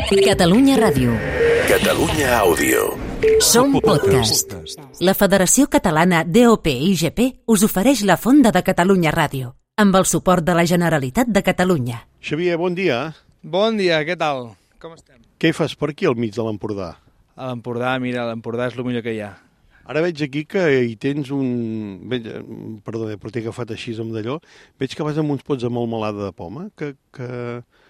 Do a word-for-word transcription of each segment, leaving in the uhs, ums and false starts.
Catalunya Ràdio. Catalunya Àudio. Som podcast. La Federació Catalana D O P I G P us ofereix la Fonda de Catalunya Ràdio, amb el suport de la Generalitat de Catalunya. Xavier, bon dia. Bon dia, què tal? Com estem? Què fas per aquí al mig de l'Empordà? A l'Empordà, mira, l'Empordà és el millor que hi ha. Ara veig aquí que hi tens un... Perdó, però t'he agafat així amb d'allò. Veig que vas amb uns pots de melmelada de poma, que, que,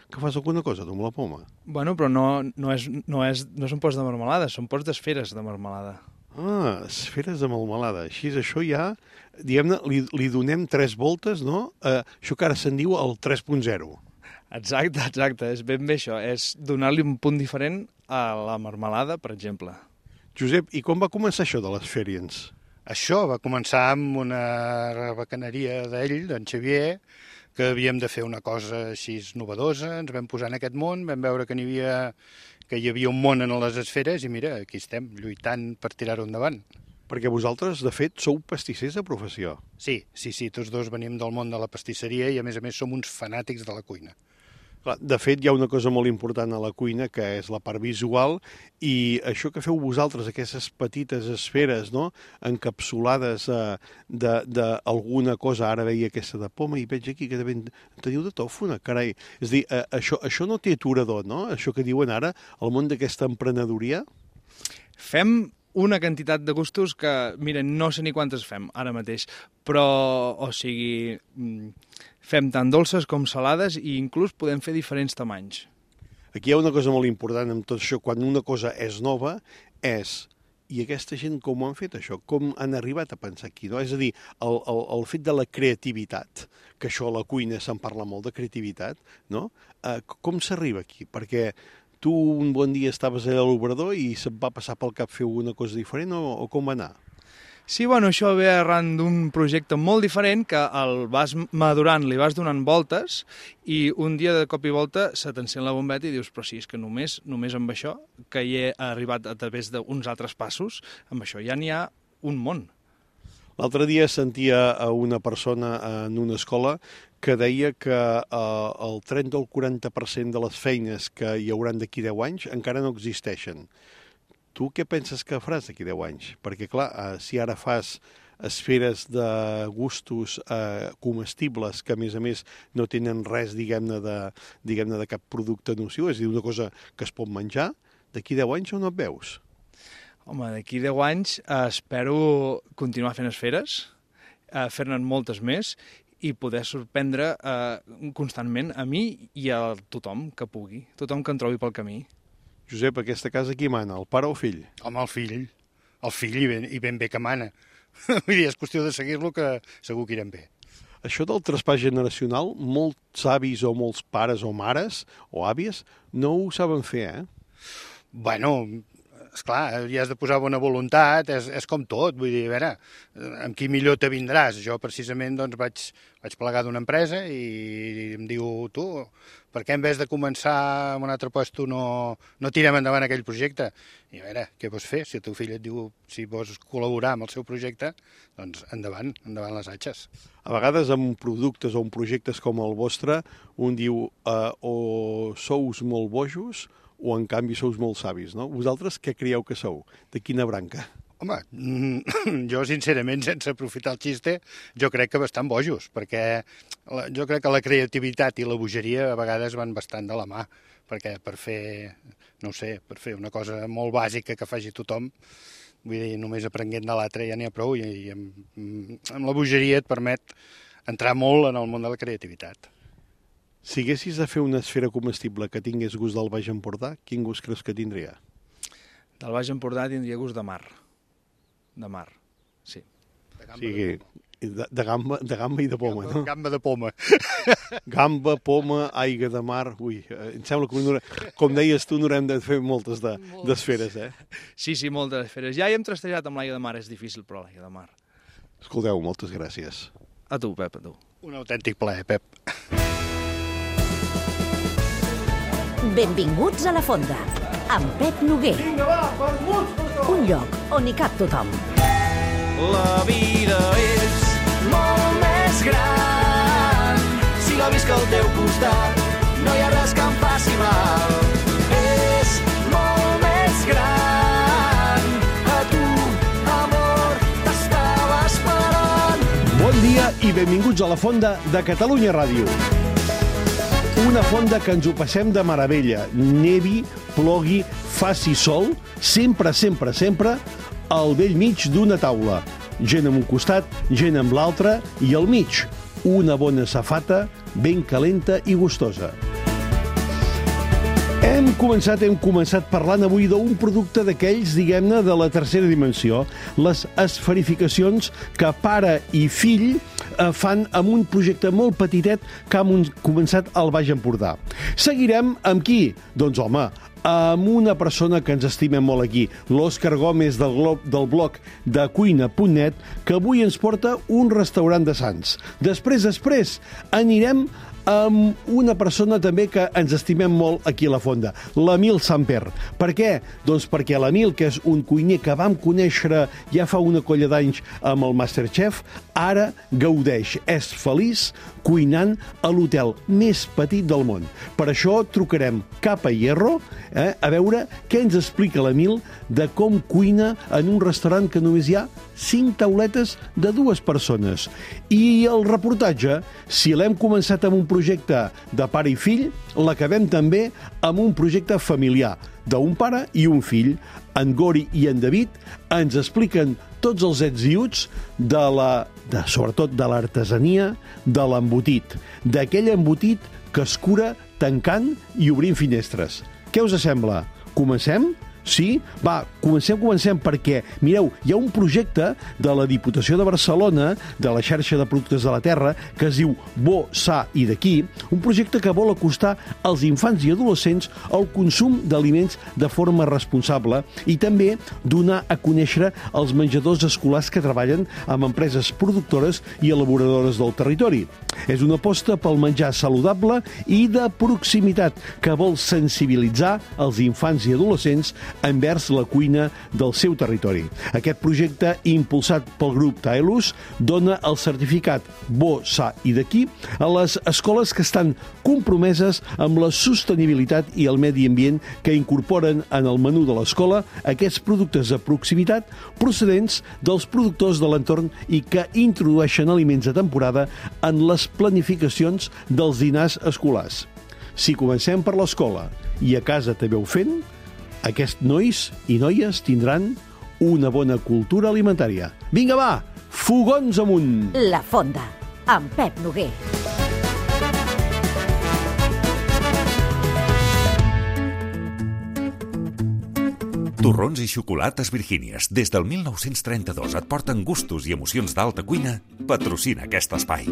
que fas alguna cosa tu amb la poma. Bueno, però no, no, és, no, és, no són pots de marmelada, són pots d'esferes de marmelada. Ah, esferes de melmelada. Així, això ja, diguem-ne, li, li donem tres voltes, no? Eh, això que ara se'n diu el tres punt zero. Exacte, exacte, és ben bé això. És donar-li un punt diferent a la marmelada, per exemple. Josep, i com va començar això de les Ferians? Això va començar amb una bacaneria d'ell, d'en Xavier, que havíem de fer una cosa així novedosa, ens vam posar en aquest món, vam veure que n'hi havia, que hi havia un món en les esferes i mira, aquí estem, lluitant per tirar-ho endavant. Perquè vosaltres, de fet, sou pastissers de professió. Sí, sí, sí, tots dos venim del món de la pastisseria i a més a més som uns fanàtics de la cuina. Clar, de fet, hi ha una cosa molt important a la cuina, que és la part visual, i això que feu vosaltres, aquestes petites esferes, no?, encapsulades eh, d'alguna cosa, ara veia aquesta de poma, i veig aquí que ben, teniu de tòfona, carai. És a dir, eh, això, això no té aturador, no?, això que diuen ara, el món d'aquesta emprenedoria? Fem una quantitat de gustos que, mira, no sé ni quantes fem ara mateix, però, o sigui, fem tant dolces com salades i inclús podem fer diferents tamanys. Aquí hi ha una cosa molt important amb tot això, quan una cosa és nova, és, i aquesta gent com ho han fet això? Com han arribat a pensar aquí, no? És a dir, el, el, el fet de la creativitat, que això a la cuina se'n parla molt de creativitat, no? Eh, com s'arriba aquí? Perquè tu un bon dia estaves allà a l'obrador i se't va passar pel cap fer una cosa diferent o, o com va anar? Sí, bueno, això ve arran d'un projecte molt diferent que el vas madurant, li vas donant voltes i un dia de cop i volta se t'encén la bombeta i dius, però sí, és que només, només amb això, que hi he arribat a través d'uns altres passos, amb això ja n'hi ha un món. L'altre dia sentia a una persona en una escola que deia que eh, el trenta o el quaranta per cent de les feines que hi hauran d'aquí deu anys encara no existeixen. Tu què penses que faràs d'aquí deu anys? Perquè, clar, eh, si ara fas esferes de gustos eh, comestibles que, a més a més, no tenen res, diguem-ne, de, diguem-ne, de cap producte nociu, és a dir, una cosa que es pot menjar, d'aquí deu anys on et veus? Home, d'aquí deu anys eh, espero continuar fent esferes, eh, fer-ne moltes més i poder sorprendre eh, constantment a mi i a tothom que pugui, tothom que em trobi pel camí. Josep, aquesta casa qui mana, el pare o el fill? Home, el fill, el fill i ben, i ben bé que mana. Vull dir, és qüestió de seguir-lo que segur que irem bé. Això del traspàs generacional, molts avis o molts pares o mares o àvies no ho saben fer, eh? Bueno, esclar, hi has de posar bona voluntat, és, és com tot, vull dir, a veure, amb qui millor te vindràs. Jo precisament doncs, vaig, vaig plegar d'una empresa i em diu, tu, per què en vez de començar en un altre lloc no, no tirem endavant aquell projecte? I a veure, què vols fer? Si el teu fill et diu si vols col·laborar amb el seu projecte, doncs endavant, endavant les atxes. A vegades amb productes o amb projectes com el vostre, un diu eh, o sous molt bojos o en canvi sous molt savis, no? Vosaltres què creieu que sou? De quina branca? Home, jo sincerament, sense aprofitar el xiste, jo crec que bastant bojos, perquè la, jo crec que la creativitat i la bogeria a vegades van bastant de la mà, perquè per fer, no ho sé, per fer una cosa molt bàsica que faci tothom, vull dir, només aprenguent de l'altre ja n'hi ha prou, i, i amb, amb la bogeria et permet entrar molt en el món de la creativitat. Si haguessis de fer una esfera comestible que tingués gust del Baix Empordà, quin gust creus que tindria? Del Baix Empordà tindria gust de mar. De mar, sí. O sigui, de, de, gamba, de gamba i de poma, gamba, no? Gamba de poma. Gamba, poma, aigua de mar... Ui, em sembla que, com deies tu, n'haurem de fer moltes d'esferes, de, eh? Sí, sí, moltes esferes. Ja hi hem trastejat amb l'aigua de mar, és difícil, però l'aigua de mar. Escolteu, moltes gràcies. A tu, Pep, a tu. Un autèntic plaer, Pep. Benvinguts a la Fonda, amb Pep Noguer. Vinga, va, vermuts per tot! Un lloc on hi cap tothom. La vida és molt més gran si la visc al teu costat, no hi ha res que em faci mal. Eh, i benvinguts a la Fonda de Catalunya Ràdio. Una fonda que ens ho passem de meravella. Nevi, plogui, faci sol, sempre, sempre, sempre, al vell mig d'una taula. Gent amb un costat, gent amb l'altre, i al mig, una bona safata, ben calenta i gustosa. Hem començat, hem començat parlant avui d'un producte d'aquells, diguem-ne, de la tercera dimensió, les esferificacions que pare i fill eh, fan amb un projecte molt petitet que hem començat al Baix Empordà. Seguirem amb qui? Doncs, home, amb una persona que ens estimem molt aquí, l'Òscar Gómez del, Glo- del blog de cuina punt net, que avui ens porta un restaurant de Sants. Després, després, anirem amb una persona també que ens estimem molt aquí a la Fonda, l'Emil Samper. Per què? Doncs perquè l'Emil, que és un cuiner que vam conèixer ja fa una colla d'anys amb el Masterchef, ara gaudeix, és feliç cuinant a l'hotel més petit del món. Per això trucarem cap a Hierro eh, a veure què ens explica l'Emil de com cuina en un restaurant que només hi ha cinc tauletes de dues persones. I el reportatge, si l'hem començat amb un projecte de pare i fill, l'acabem també amb un projecte familiar d'un pare i un fill. En Gori i en David ens expliquen tots els ets i uts de la, de, sobretot de l'artesania de l'embotit, d'aquell embotit que es cura tancant i obrint finestres. Què us sembla? Comencem? Sí? Va, comencem, comencem, perquè, mireu, hi ha un projecte de la Diputació de Barcelona, de la xarxa de productes de la terra, que es diu Bo, Sa i d'aquí, un projecte que vol acostar als infants i adolescents el consum d'aliments de forma responsable i també donar a conèixer els menjadors escolars que treballen amb empreses productores i elaboradores del territori. És una aposta pel menjar saludable i de proximitat que vol sensibilitzar els infants i adolescents envers la cuina del seu territori. Aquest projecte, impulsat pel grup Taelus, dona el certificat Bo, Sa i d'aquí a les escoles que estan compromeses amb la sostenibilitat i el medi ambient, que incorporen en el menú de l'escola aquests productes de proximitat procedents dels productors de l'entorn i que introdueixen aliments de temporada en les planificacions dels dinars escolars. Si comencem per l'escola i a casa també ho fent, aquests nois i noies tindran una bona cultura alimentària. Vinga, va! Fogons amunt! La Fonda, amb Pep Noguer. Torrons i xocolates Virgínies, des del mil nou-cents trenta-dos et porten gustos i emocions d'alta cuina, patrocina aquest espai.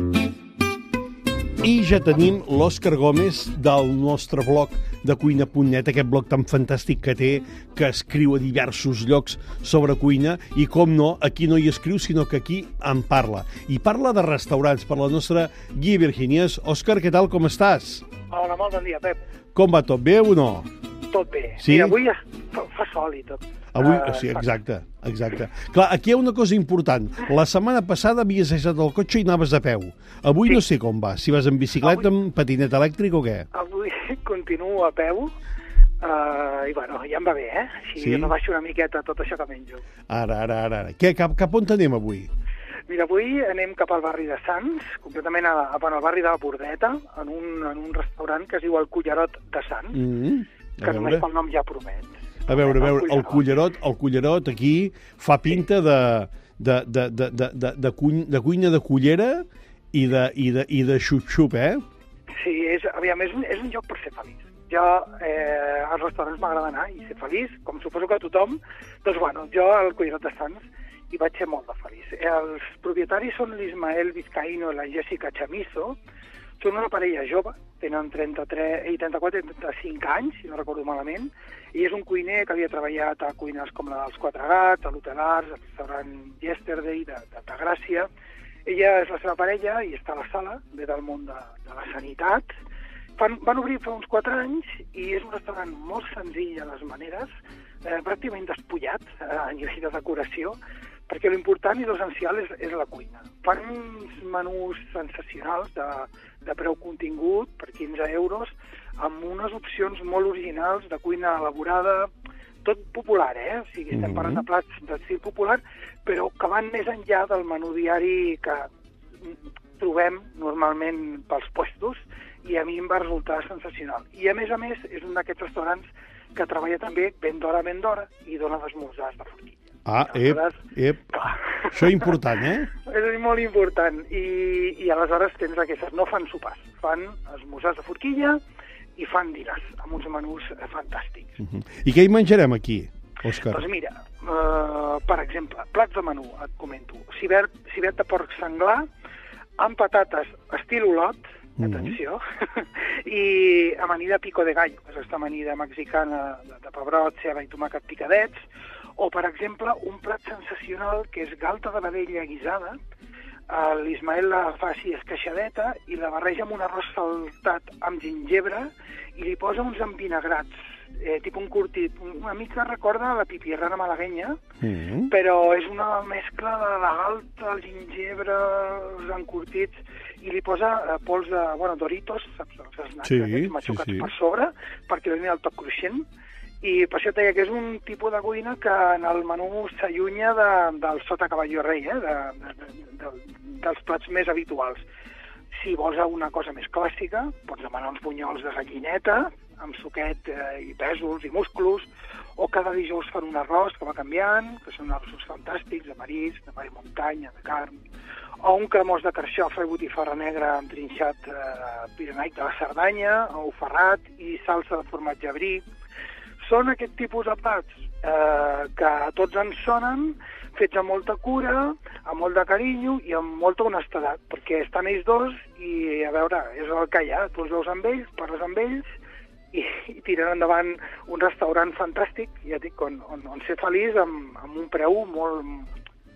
I ja tenim l'Òscar Gómez del nostre blog de cuina punt net, aquest blog tan fantàstic que té, que escriu a diversos llocs sobre cuina, i com no, aquí no hi escriu, sinó que aquí en parla. I parla de restaurants per la nostra guia Virgínies. Òscar, què tal, com estàs? Hola, molt bon dia, Pep. Com va, tot bé o no? Tot bé. Sí? Mira, avui ja fa, fa sol i tot. Avui, Uh, sí, exacte, exacte. Clar, aquí hi ha una cosa important. La setmana passada havies deixat el cotxe i anaves a peu. Avui Sí. no sé com va, si vas en bicicleta, amb patinet elèctric o què? Avui continuo a peu uh, i, bueno, ja em va bé, eh? Així Sí? rebaixo una miqueta tot això que menjo. Ara, ara, ara. ara. Què, cap, cap on anem avui? Mira, avui anem cap al barri de Sants, concretament a, a, bueno, al barri de la Bordeta, en un, en un restaurant que es diu el Cullerot de Sants, Mm, que només pel nom ja promet. A veure, a veure, el cullerot, el cullerot aquí fa pinta de, de, de, de, de, de, de, cuny, de cuina de cullera i de, i de, i de xup-xup, eh? Sí, és, aviam, és, un, és un lloc per ser feliç. Jo, eh, als restaurants m'agrada anar i ser feliç, com suposo que tothom. Doncs, bueno, jo al Cullerot de Sants hi vaig ser molt de feliç. Els propietaris són l'Ismael Vizcaíno i la Jessica Chamizo. Són una parella jove, tenen trenta-tres, trenta-quatre i trenta-cinc anys, si no recordo malament, i és un cuiner que havia treballat a cuines com la dels Quatre Gats, a l'Hotel Arts, al restaurant Yesterday de, de, de Gràcia. Ella és la seva parella i està a la sala, ve del món de, de la sanitat. Fan, van obrir fa uns quatre anys i és un restaurant molt senzill a les maneres, eh, pràcticament despullat eh, a nivell de decoració, perquè l'important i l'essencial és, és la cuina. Fan uns menús sensacionals de, de preu contingut per quinze euros, amb unes opcions molt originals de cuina elaborada, tot popular, eh? O sigui, estem parlant de plats d'estil popular, però que van més enllà del menú diari que trobem normalment pels puestos, i a mi em va resultar sensacional. I a més a més és un d'aquests restaurants que treballa també ben d'hora, ben d'hora, i dona esmorzars de forquilla. Ah, ep, ep. Això és important, eh? És molt important. I, i aleshores tens aquestes, no fan sopars, fan esmorzars de forquilla i fan dinars, amb uns menús fantàstics. Uh-huh. I què hi menjarem aquí, Òscar? Doncs mira, uh, per exemple, plats de menú, et comento. Cibert, cibert de porc senglar, amb patates estil olot, atenció, mm-hmm. i amanida pico de gallo, que és aquesta amanida mexicana de, de pebrot, ceba i tomàquet picadets, o, per exemple, un plat sensacional que és galta de vedella guisada. L'Ismael la fa així esqueixadeta i la barreja amb un arròs saltat amb gingebre i li posa uns envinagrats, eh, tipus un curtit. Una mica recorda la pipirrana malaguenya, mm-hmm. però és una mescla de la galta, el gingebre, els encurtits, i li posa eh, pols de, bueno, Doritos, saps, els snacks sí, aquests machucats sí, sí. per sobre, perquè li doni el toc cruixent, i per això et deia que és un tipus de cuina que en el menú s'allunya de, del sota cavalló rei, eh, de, de, de, de, dels plats més habituals. Si vols una cosa més clàssica, pots demanar uns bunyols de gallineta, amb suquet eh, i pèsols i musclos, o cada dijous fan un arròs que va canviant, que són arrossos fantàstics, de marisc, de mar i muntanya, de carn, o un cremós de carxofa i botifarra negra amb trinxat eh, pirenaic de la Cerdanya, o ferrat i salsa de formatge brie. Són aquest tipus de plats eh, que tots ens sonen, fets amb molta cura, amb molt de carinyo i amb molta honestedat, perquè estan ells dos i, a veure, és el que hi ha. Tu els veus amb ells, parles amb ells i, i tiren endavant un restaurant fantàstic, ja dic, on, on, on ser feliç amb, amb un preu molt,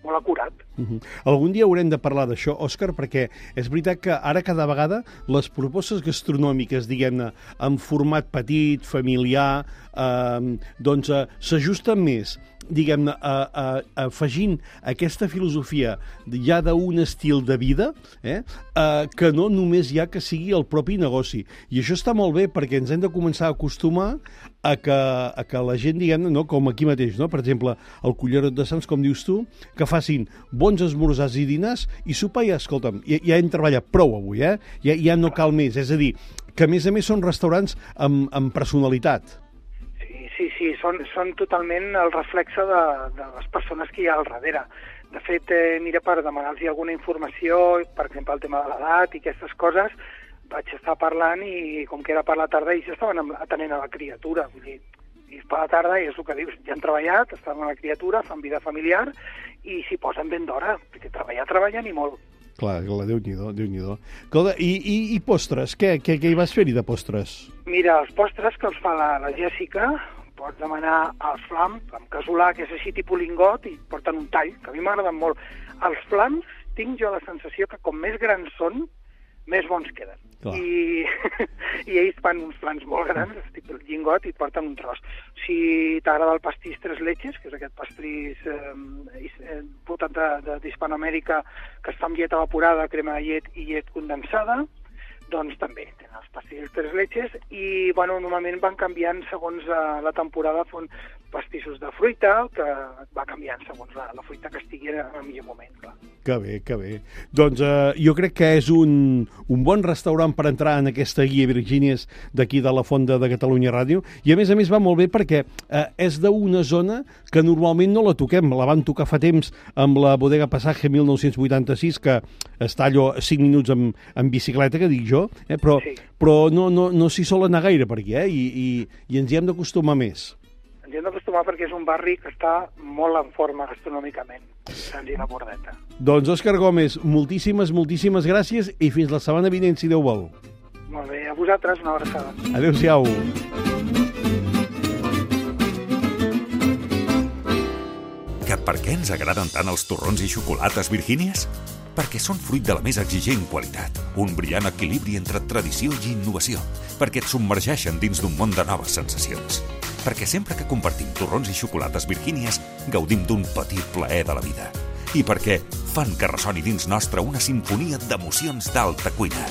molt acurat. Uh-huh. Algun dia haurem de parlar d'això, Òscar, perquè és veritat que ara cada vegada les propostes gastronòmiques, diguem-ne, en format petit, familiar, eh, doncs eh, s'ajusten més, diguem-ne, a, a, a, afegint aquesta filosofia ja d'un estil de vida, eh, eh, que no només hi ha que sigui el propi negoci. I això està molt bé perquè ens hem de començar a acostumar a que, a que la gent, diguem-ne, no, com aquí mateix, no? Per exemple, el Cullerot de Sants, com dius tu, que facin bons esmorzars i dinars i sopar i, escolta'm, ja, ja hem treballat prou avui, eh? Ja, ja no cal més. És a dir, que a més a més són restaurants amb, amb personalitat. Sí, sí, són, són totalment el reflexe de, de les persones que hi ha al darrere. De fet, eh, mira, per demanar-los alguna informació, per exemple, el tema de l'edat i aquestes coses, vaig estar parlant i, com que era per la tarda, ells estaven atenent a la criatura. Vull dir, i per la tarda, i és el que dius, ja han treballat, estaven amb la criatura, fan vida familiar, i s'hi posen ben d'hora, perquè treballar, treballen i molt. Clar, clar, Déu-n'hi-do, Déu-n'hi-do. I, i, I postres? Què, què, què hi vas fer-hi de postres? Mira, els postres que els fa la, la Jèssica, pots demanar els flams, amb casolà, que és així tipus lingot, i porten un tall, que a mi m'agraden molt. Els flams, tinc jo la sensació que com més grans són, més bons queden. I, i ells fan uns flans molt grans, tipus lingot, i porten un tros. Si t'agrada el pastís tres leches, que és aquest pastís eh, portat d'Hispanoamèrica, que està amb llet evaporada, crema de llet i llet condensada, doncs també tenen els pastissos tres leches i, bueno, normalment van canviant segons uh, la temporada, fon pastissos de fruita, que va canviant segons la, la fruita que estigui en el millor moment, clar. Que bé, que bé. Doncs eh, jo crec que és un, un bon restaurant per entrar en aquesta guia Virgínies d'aquí de la Fonda de Catalunya Ràdio, i a més a més va molt bé perquè eh, és d'una zona que normalment no la toquem, la van tocar fa temps amb la Bodega Passage mil nou-cents vuitanta-sis, que està allò cinc minuts amb, amb bicicleta, que dic jo, eh, però, sí. però no, no, no s'hi sol anar gaire per aquí, eh, i, i, i ens hi hem d'acostumar més. Ens hi hem d'acostumar perquè és un barri que està molt en forma gastronòmicament, Sant i la Bordeta. Doncs Òscar Gómez, moltíssimes, moltíssimes gràcies i fins la setmana vinent, si Déu vol. Molt bé, a vosaltres una abraçada. Adéu-siau. Que per què ens agraden tant els torrons i xocolates Virgínies? Perquè són fruit de la més exigent qualitat, un brillant equilibri entre tradició i innovació, perquè et submergeixen dins d'un món de noves sensacions. Perquè sempre que compartim torrons i xocolates Virgínies gaudim d'un petit plaer de la vida. I perquè fan que ressoni dins nostre una sinfonia d'emocions d'alta cuina.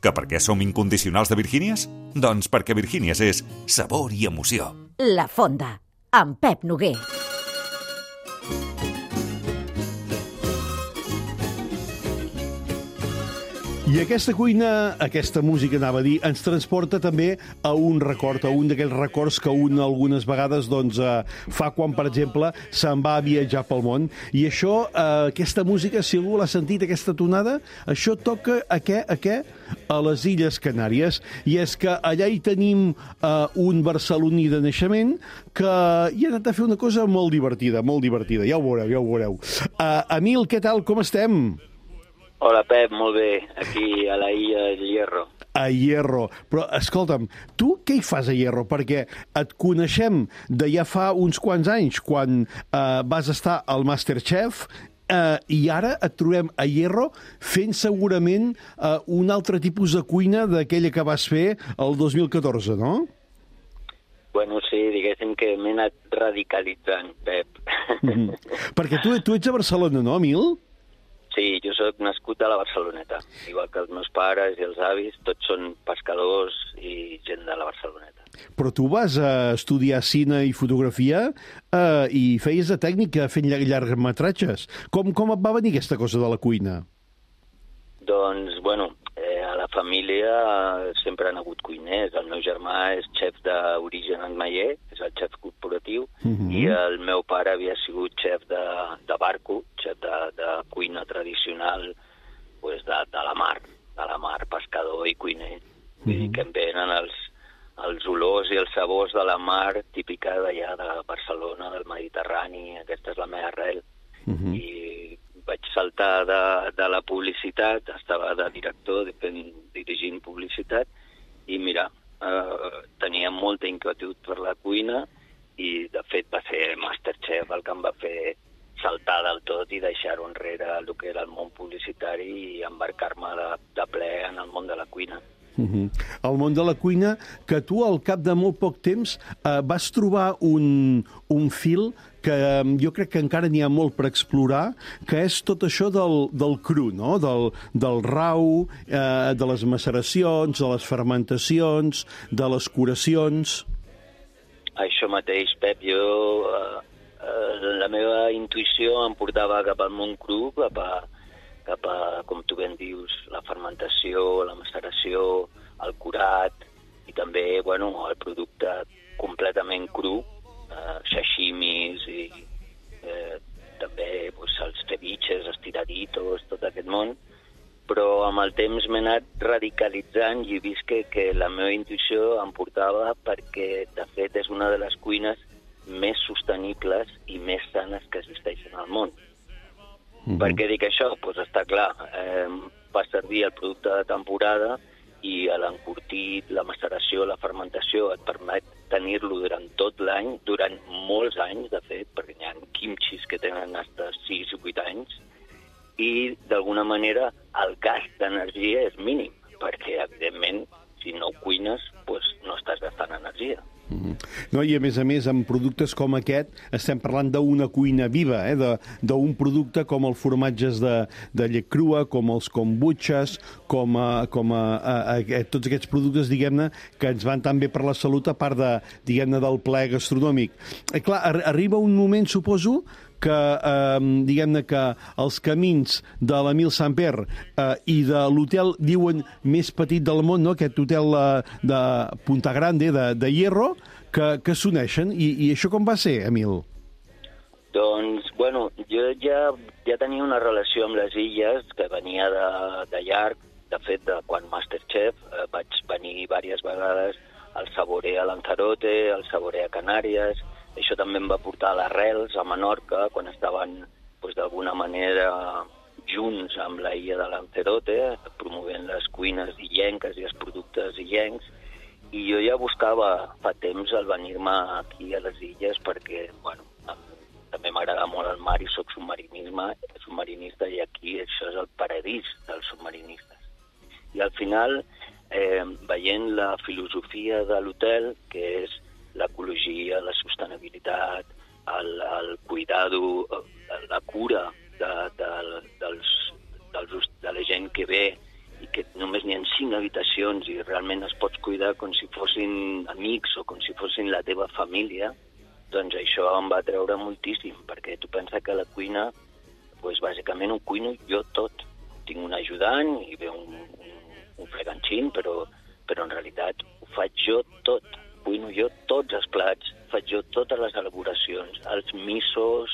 Que per què som incondicionals de Virgínies? Doncs perquè Virgínies és sabor i emoció. La Fonda, amb Pep Noguer. I aquesta cuina, aquesta música, anava a dir, ens transporta també a un record, a un d'aquells records que un algunes vegades doncs, eh, fa quan, per exemple, se'n va a viatjar pel món. I això, eh, aquesta música, si algú l'ha sentit, aquesta tonada, això toca a què? A què? A les Illes Canàries. I és que allà hi tenim eh, un barceloní de naixement que hi ha anat a fer una cosa molt divertida, molt divertida. Ja ho veureu, ja ho veureu. Uh, Emil, què tal? Com estem? Hola, Pep, molt bé. Aquí a la illa del Hierro. A Hierro. Però, escolta'm, tu què hi fas a Hierro? Perquè et coneixem de ja fa uns quants anys, quan eh, vas estar al MasterChef, eh, i ara et trobem a Hierro fent segurament eh, un altre tipus de cuina d'aquella que vas fer el dos mil catorze, no? Bueno, sí, diguéssim que m'he anat radicalitzant, Pep. Mm-hmm. Perquè tu, tu ets a Barcelona, no, Emil? Sí, jo sóc nascut a la Barceloneta, igual que els meus pares i els avis, tots són pescadors i gent de la Barceloneta. Però tu vas a estudiar cine i fotografia eh, i feies de tècnica fent llargmetratges. Com, com et va venir aquesta cosa de la cuina? Doncs, bueno, eh, a la família sempre han hagut cuiners. El meu germà és xef d'origen Antmaier, és el xef corporatiu, uh-huh. i el meu pare havia sigut xef de, de barco, xef de, de cuina tradicional pues de, de la mar, de la mar, pescador i cuiner. Vull uh-huh. dir que em venen els, els olors i els sabors de la mar típica d'allà de Barcelona, del Mediterrani, aquesta és la meva arrel. Uh-huh. I vaig saltar de, de la publicitat, estava de director, de, dirigint publicitat, i mira, eh, tenia molta inquietud per la cuina, i de fet va ser MasterChef el que em va fer saltar del tot i deixar-ho enrere el que era el món publicitari i embarcar-me de, de ple en el món de la cuina. Uh-huh. El món de la cuina, que tu al cap de molt poc temps eh, vas trobar un, un fil que eh, jo crec que encara n'hi ha molt per explorar, que és tot això del, del cru, no? del, del rau, eh, de les maceracions, de les fermentacions, de les curacions... Això mateix, Pep, jo... Eh, eh, la meva intuïció em portava cap al món cru, cap a... cap a, com tu ben dius, la fermentació, la maceració, el curat i també, bueno, el producte completament cru, eh, sashimis i eh, també pues, els ceviches, estiraditos, tot aquest món, però amb el temps m'he anat radicalitzant i he vist que, que la meva intuïció em portava perquè, de fet, és una de les cuines més sostenibles i més sanes que existeixen al món. Mm-hmm. Per què dic això? Pues està clar, eh, va servir el producte de temporada i l'encurtit, la maceració, la fermentació et permet tenir-lo durant tot l'any, durant molts anys, de fet, perquè hi ha quimchis que tenen fins sis o vuit anys, i d'alguna manera el gast d'energia és mínim, perquè evidentment si no cuines pues, no estàs gastant energia. Mm-hmm. No, i a més a més, amb productes com aquest, estem parlant d'una cuina viva, eh? d'un producte com els formatges de, de llet crua, com els kombuchas, com, a, com a, a, a, tots aquests productes, diguem-ne, que ens van tan bé per la salut, a part de, diguem-ne, del plaer gastronòmic. Eh, clar, ar arriba un moment, suposo, que, eh, diguem-ne, que els camins de l'Emil Samper eh, i de l'hotel, diuen, més petit del món, no? Aquest hotel eh, de Punta Grande, de, de Hierro, que, que s'uneixen. I, I això com va ser, Emil? Doncs, bueno, jo ja, ja tenia una relació amb les illes que venia de, de llarg. De fet, de quan Masterchef eh, vaig venir diverses vegades al Saborea a Lanzarote, al Saborea a Canàries. Això també em va portar a l'Arrels, a Menorca, quan estaven pues, d'alguna manera junts amb la illa de Lanzarote, promovent les cuines illenques i els productes illencs. I jo ja buscava fa temps el venir-me aquí a les illes perquè, bueno, també m'agrada molt el mar i soc submarinista i aquí això és el paradís dels submarinistes. I al final, eh, veient la filosofia de l'hotel, que és l'ecologia, la sostenibilitat, el, el cuidado, la cura de, de, dels, dels, de la gent que ve i que només n'hi ha cinc habitacions i realment es pots cuidar com si fossin amics o com si fossin la teva família, doncs això em va treure moltíssim, perquè tu pensa que la cuina, doncs bàsicament ho cuino jo tot. Tinc un ajudant i ve un, un freganxín, però, però en realitat ho faig jo tot. Cuino jo tots els plats, faig jo totes les elaboracions, els misos,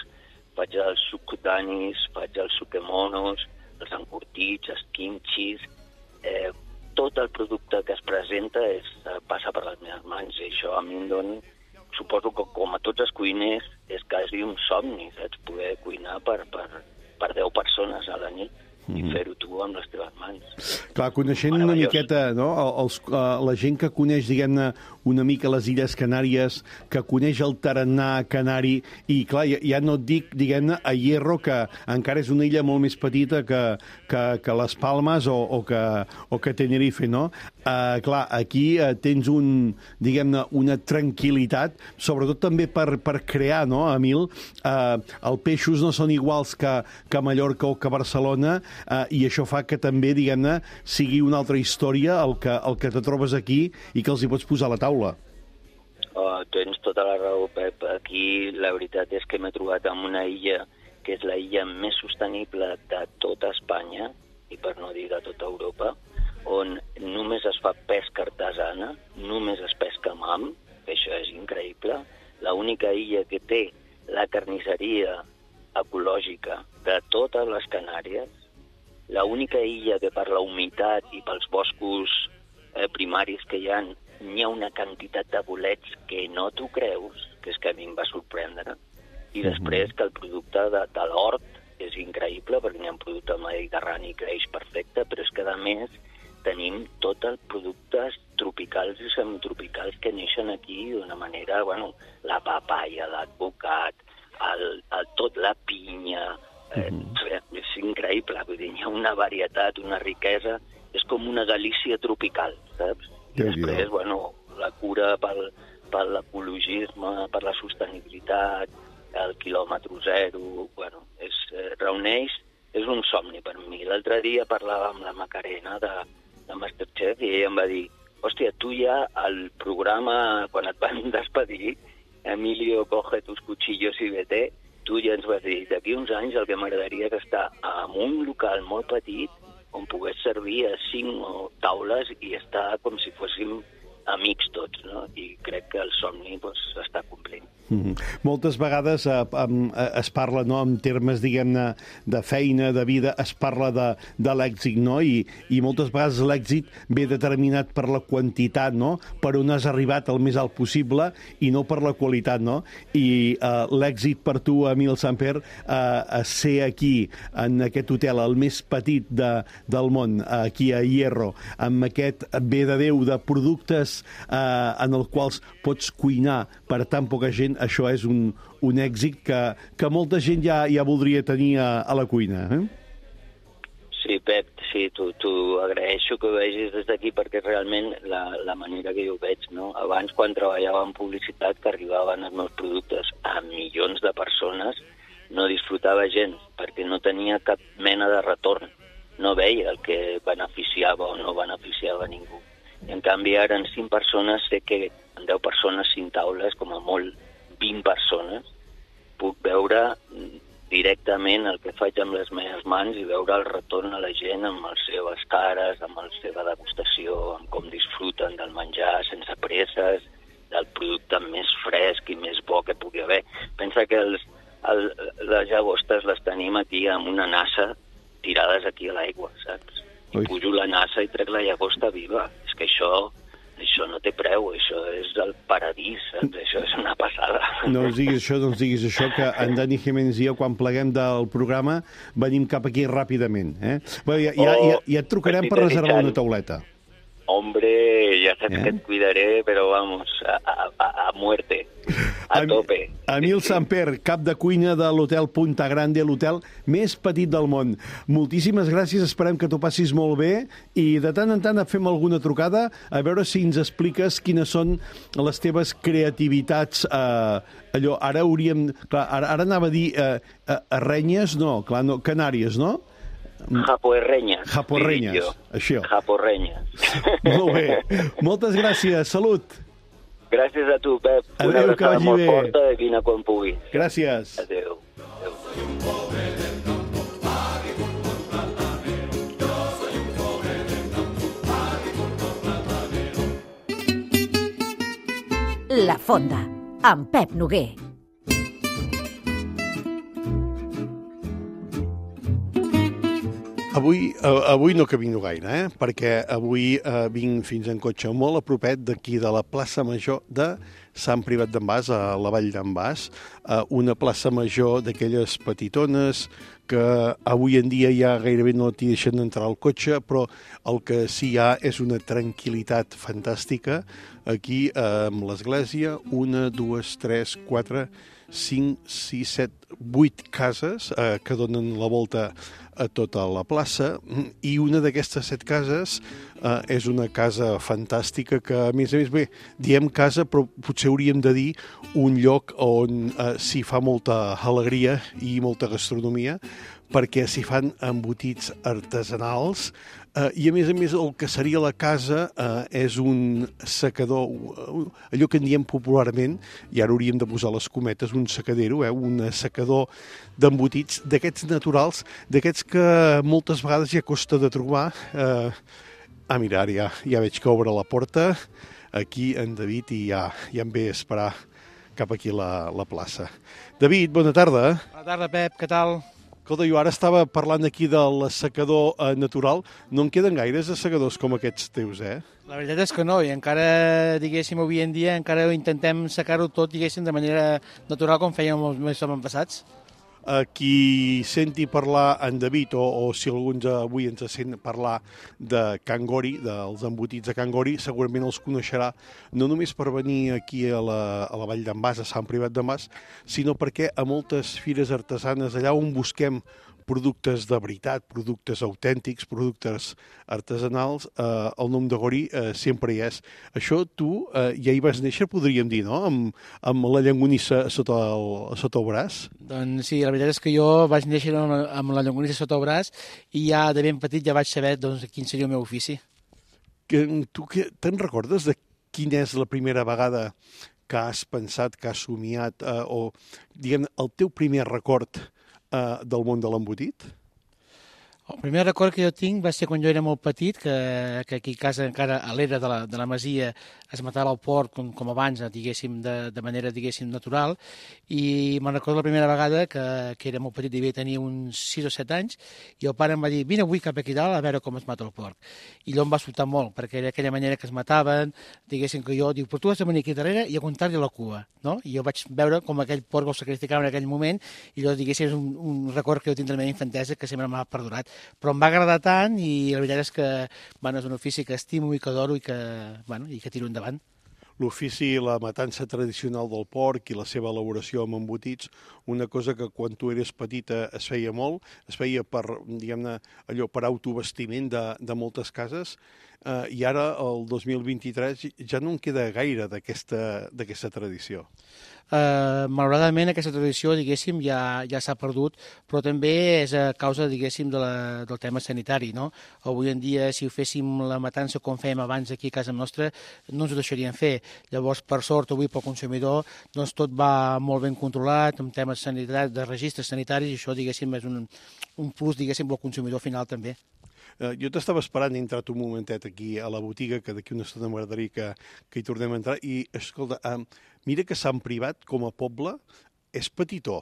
faig els sukudanis, faig els sukemonos, els encurtits, els kimchis, eh, tot el producte que es presenta és, passa per les meves mans, i això a mi em dona, suposo que com a tots els cuiners, és quasi un somni, saps? Poder cuinar per, per, per deu persones a la nit i Mm. fer-ho tu amb les teves mans. Clar, coneixent una Meravellós. miqueta, no? Els, uh, la gent que coneix, diguem-ne, una mica les Illes Canàries, que coneix el tarannà canari, i clar, ja, ja no et dic, diguem-ne, a Hierro, que encara és una illa molt més petita que, que, que les Palmes o, o, que, o que Tenerife, no? Uh, clar, aquí uh, tens un, diguem-ne, una tranquil·litat, sobretot també per, per crear, no, Emil? Uh, els peixos no són iguals que, que a Mallorca o que a Barcelona, uh, i això fa que també, diguem-ne, sigui una altra història el que, el que te trobes aquí i que els hi pots posar a la taula. Oh, tens tota la raó, Pep. Aquí la veritat és que m'he trobat en una illa que és la illa més sostenible de tota Espanya, i per no dir de tota Europa, on només es fa pesca artesana, només es pesca amb ham, que això és increïble. L'única illa que té la carnisseria ecològica de totes les Canàries, l'única illa que per la humitat i pels boscos eh, primaris que hi ha, n'hi ha una quantitat de bolets que no t'ho creus, que és que a mi em va sorprendre. I després que el producte de, de l'hort és increïble, perquè n'hi ha un producte mediterrani que creix perfecte, però és que a més tenim tots els productes tropicals i semitropicals que neixen aquí d'una manera, bueno, la papaya, l'advocat, el, el, tot la pinya, eh, uh-huh. és increïble, vull dir, hi ha una varietat, una riquesa, és com una Galícia tropical, saps? I després, bueno, la cura pel, per l'ecologisme, per la sostenibilitat, el quilòmetre zero, bueno, és, eh, reuneix, és un somni per mi. L'altre dia parlava amb la Macarena de, de Masterchef i ella em va dir, hòstia, tu ja al programa, quan et van despedir, Emilio, coge tus cuchillos i vete, tu ja ens vas dir, d'aquí uns anys el que m'agradaria és estar en un local molt petit on pogués servir a cinc taules i estar com si fóssim amics tots, no? I crec que el somni pues, s'està complint. Mm-hmm. Moltes vegades eh, eh, es parla, no, en termes, diguem-ne, de feina, de vida, es parla de, de l'èxit, no? I, I moltes vegades l'èxit ve determinat per la quantitat, no? Per on has arribat el més alt possible i no per la qualitat, no? I eh, l'èxit per tu, Emil Samper, eh, ser aquí, en aquest hotel, el més petit de, del món, aquí a Hierro, amb aquest bé de Déu de productes eh, en els quals pots cuinar per tan poca gent, això és un, un èxit que, que molta gent ja, ja voldria tenir a, a la cuina. Eh? Sí, Pep, sí, t'ho agraeixo que ho vegis des d'aquí perquè realment la, la manera que jo ho veig, no? Abans, quan treballava en publicitat, que arribaven els meus productes a milions de persones, no disfrutava gens perquè no tenia cap mena de retorn. No veia el que beneficiava o no beneficiava ningú. I en canvi ara en cinc persones sé que en deu persones, cinc taules, com a molt vint persones, puc veure directament el que faig amb les meves mans i veure el retorn a la gent amb les seves cares, amb la seva degustació, amb com disfruten del menjar sense presses, del producte més fresc i més bo que pugui haver. Pensa que els, el, les llagostes les tenim aquí amb una nassa tirades aquí a l'aigua, saps? I Ui. Pujo la nassa i trec la llagosta viva. És que això, això no té preu, això és el paradís, saps? Això és una passada. No ens diguis això, no ens diguis això, que en Dani Jiménez i jo, quan pleguem del programa, venim cap aquí ràpidament. Eh? Bé, ja, ja, ja, ja et trucarem per reservar una tauleta. Hombre, ja saps eh? que et cuidaré, però vamos, a, a, a muerte, a Am tope. Emil Samper, cap de cuina de l'hotel Punta Grande, l'hotel més petit del món. Moltíssimes gràcies, esperem que t'ho passis molt bé i de tant en tant et fem alguna trucada a veure si ens expliques quines són les teves creativitats. Eh, allò, ara hauríem... Clar, ara, ara anava a dir eh, eh, Renyes, no, clar, no, Canàries, no? Japorrenyes. Japorrenyes, això. Japorrenyes. Molt bé. Moltes gràcies. Salut. Gràcies a tu, Pep. Adéu, una abraçada molt bé. forta i vine quan puguis. Gràcies. Adéu. Adéu. La Fonda, amb Pep Noguer. Avui, uh, avui no camino gaire, eh? Perquè avui uh, vinc fins en cotxe molt a propet d'aquí de la plaça Major de Sant Privat d'en Bas, a la Vall d'en Bas, uh, una plaça major d'aquelles petitones que avui en dia ja gairebé no t'hi deixen entrar al cotxe, però el que sí hi ha és una tranquil·litat fantàstica aquí uh, amb l'església, una, dues, tres, quatre, cinc, sis, set, vuit cases eh, que donen la volta a tota la plaça, i una d'aquestes set cases eh, és una casa fantàstica que, a més a més, bé, diem casa, però potser hauríem de dir un lloc on eh, s'hi fa molta alegria i molta gastronomia, perquè s'hi fan embotits artesanals, eh, i a més a més el que seria la casa eh, és un secador, allò que en diem popularment, i ara hauríem de posar les cometes, un secadero, eh, un secador d'embotits d'aquests naturals, d'aquests que moltes vegades ja costa de trobar. Eh, ah, mira, ja, ja veig que obre la porta aquí en David i ja, ja em ve a esperar cap aquí la, la plaça. David, bona tarda. Bona tarda, Pep, què tal? Escolta, jo ara estava parlant aquí del secador eh, natural. No en queden gaires de secadors com aquests teus, eh? La veritat és que no, i encara, diguéssim, avui en dia encara intentem secar-ho tot, diguéssim, de manera natural com fèiem els mesos passats. A qui senti parlar en David, o, o si alguns avui ens sent parlar de Can Gori, dels embotits de Can Gori, segurament els coneixerà no només per venir aquí a la, a la Vall d'en Bas, a Sant Privat d'en Bas, sinó perquè a moltes fires artesanes, allà on busquem productes de veritat, productes autèntics, productes artesanals, eh, el nom de Gori eh, sempre hi és. Això tu eh, ja hi vas néixer, podríem dir, no?, amb, amb la llonganissa sota el, sota el braç? Doncs sí, la veritat és que jo vaig néixer amb la llonganissa sota el braç i ja de ben petit ja vaig saber doncs, quin seria el meu ofici. Que, tu que, te'n recordes de quina és la primera vegada que has pensat, que has somiat, eh, o, diguem, el teu primer record del món de l'embotit? El primer record que jo tinc va ser quan jo era molt petit, que, que aquí a casa encara a l'era de, la, de la masia es matava el porc com, com abans, diguéssim, de, de manera, diguéssim, natural, i me'n recordo la primera vegada que, que era molt petit, devia tenir uns sis o set anys, i el pare em va dir, vine avui cap aquí dalt a veure com es mata el porc. I allò em va sobtar molt, perquè era aquella manera que es mataven, diguéssim que jo, diu, però tu has de venir aquí darrere i aguantar-li la cua, no? I jo vaig veure com aquell porc el sacrificava en aquell moment, i allò, diguéssim, és un, un record que jo tinc de la meva infantesa que sempre m'ha perdurat. Però em va agradar tant i la veritat és que bueno, és un ofici que estimo i que adoro i que, bueno, i que tiro endavant. L'ofici, la matança tradicional del porc i la seva elaboració amb embotits, una cosa que quan tu eres petita es feia molt, es feia per, diguem-ne, allò per autovestiment de, de moltes cases, eh, i ara, el dos mil vint-i-tres, ja no en queda gaire d'aquesta d'aquesta tradició. Uh, malauradament aquesta tradició, diguéssim, ja, ja s'ha perdut, però també és a causa, diguéssim, de la, del tema sanitari, no? Avui en dia, si ho féssim la matança com fèiem abans aquí a casa nostra, no ens ho deixarien fer. Llavors, per sort, avui pel consumidor, doncs tot va molt ben controlat, amb temes sanitaris, de registres sanitaris, i això, diguéssim, és un, un plus, diguéssim, pel consumidor final també. Uh, jo t'estava esperant, he entrat un momentet aquí a la botiga, que d'aquí una estona m'agradaria que, que hi tornem a entrar, i, escolta, uh, mira que Sant Privat, com a poble, és petitó,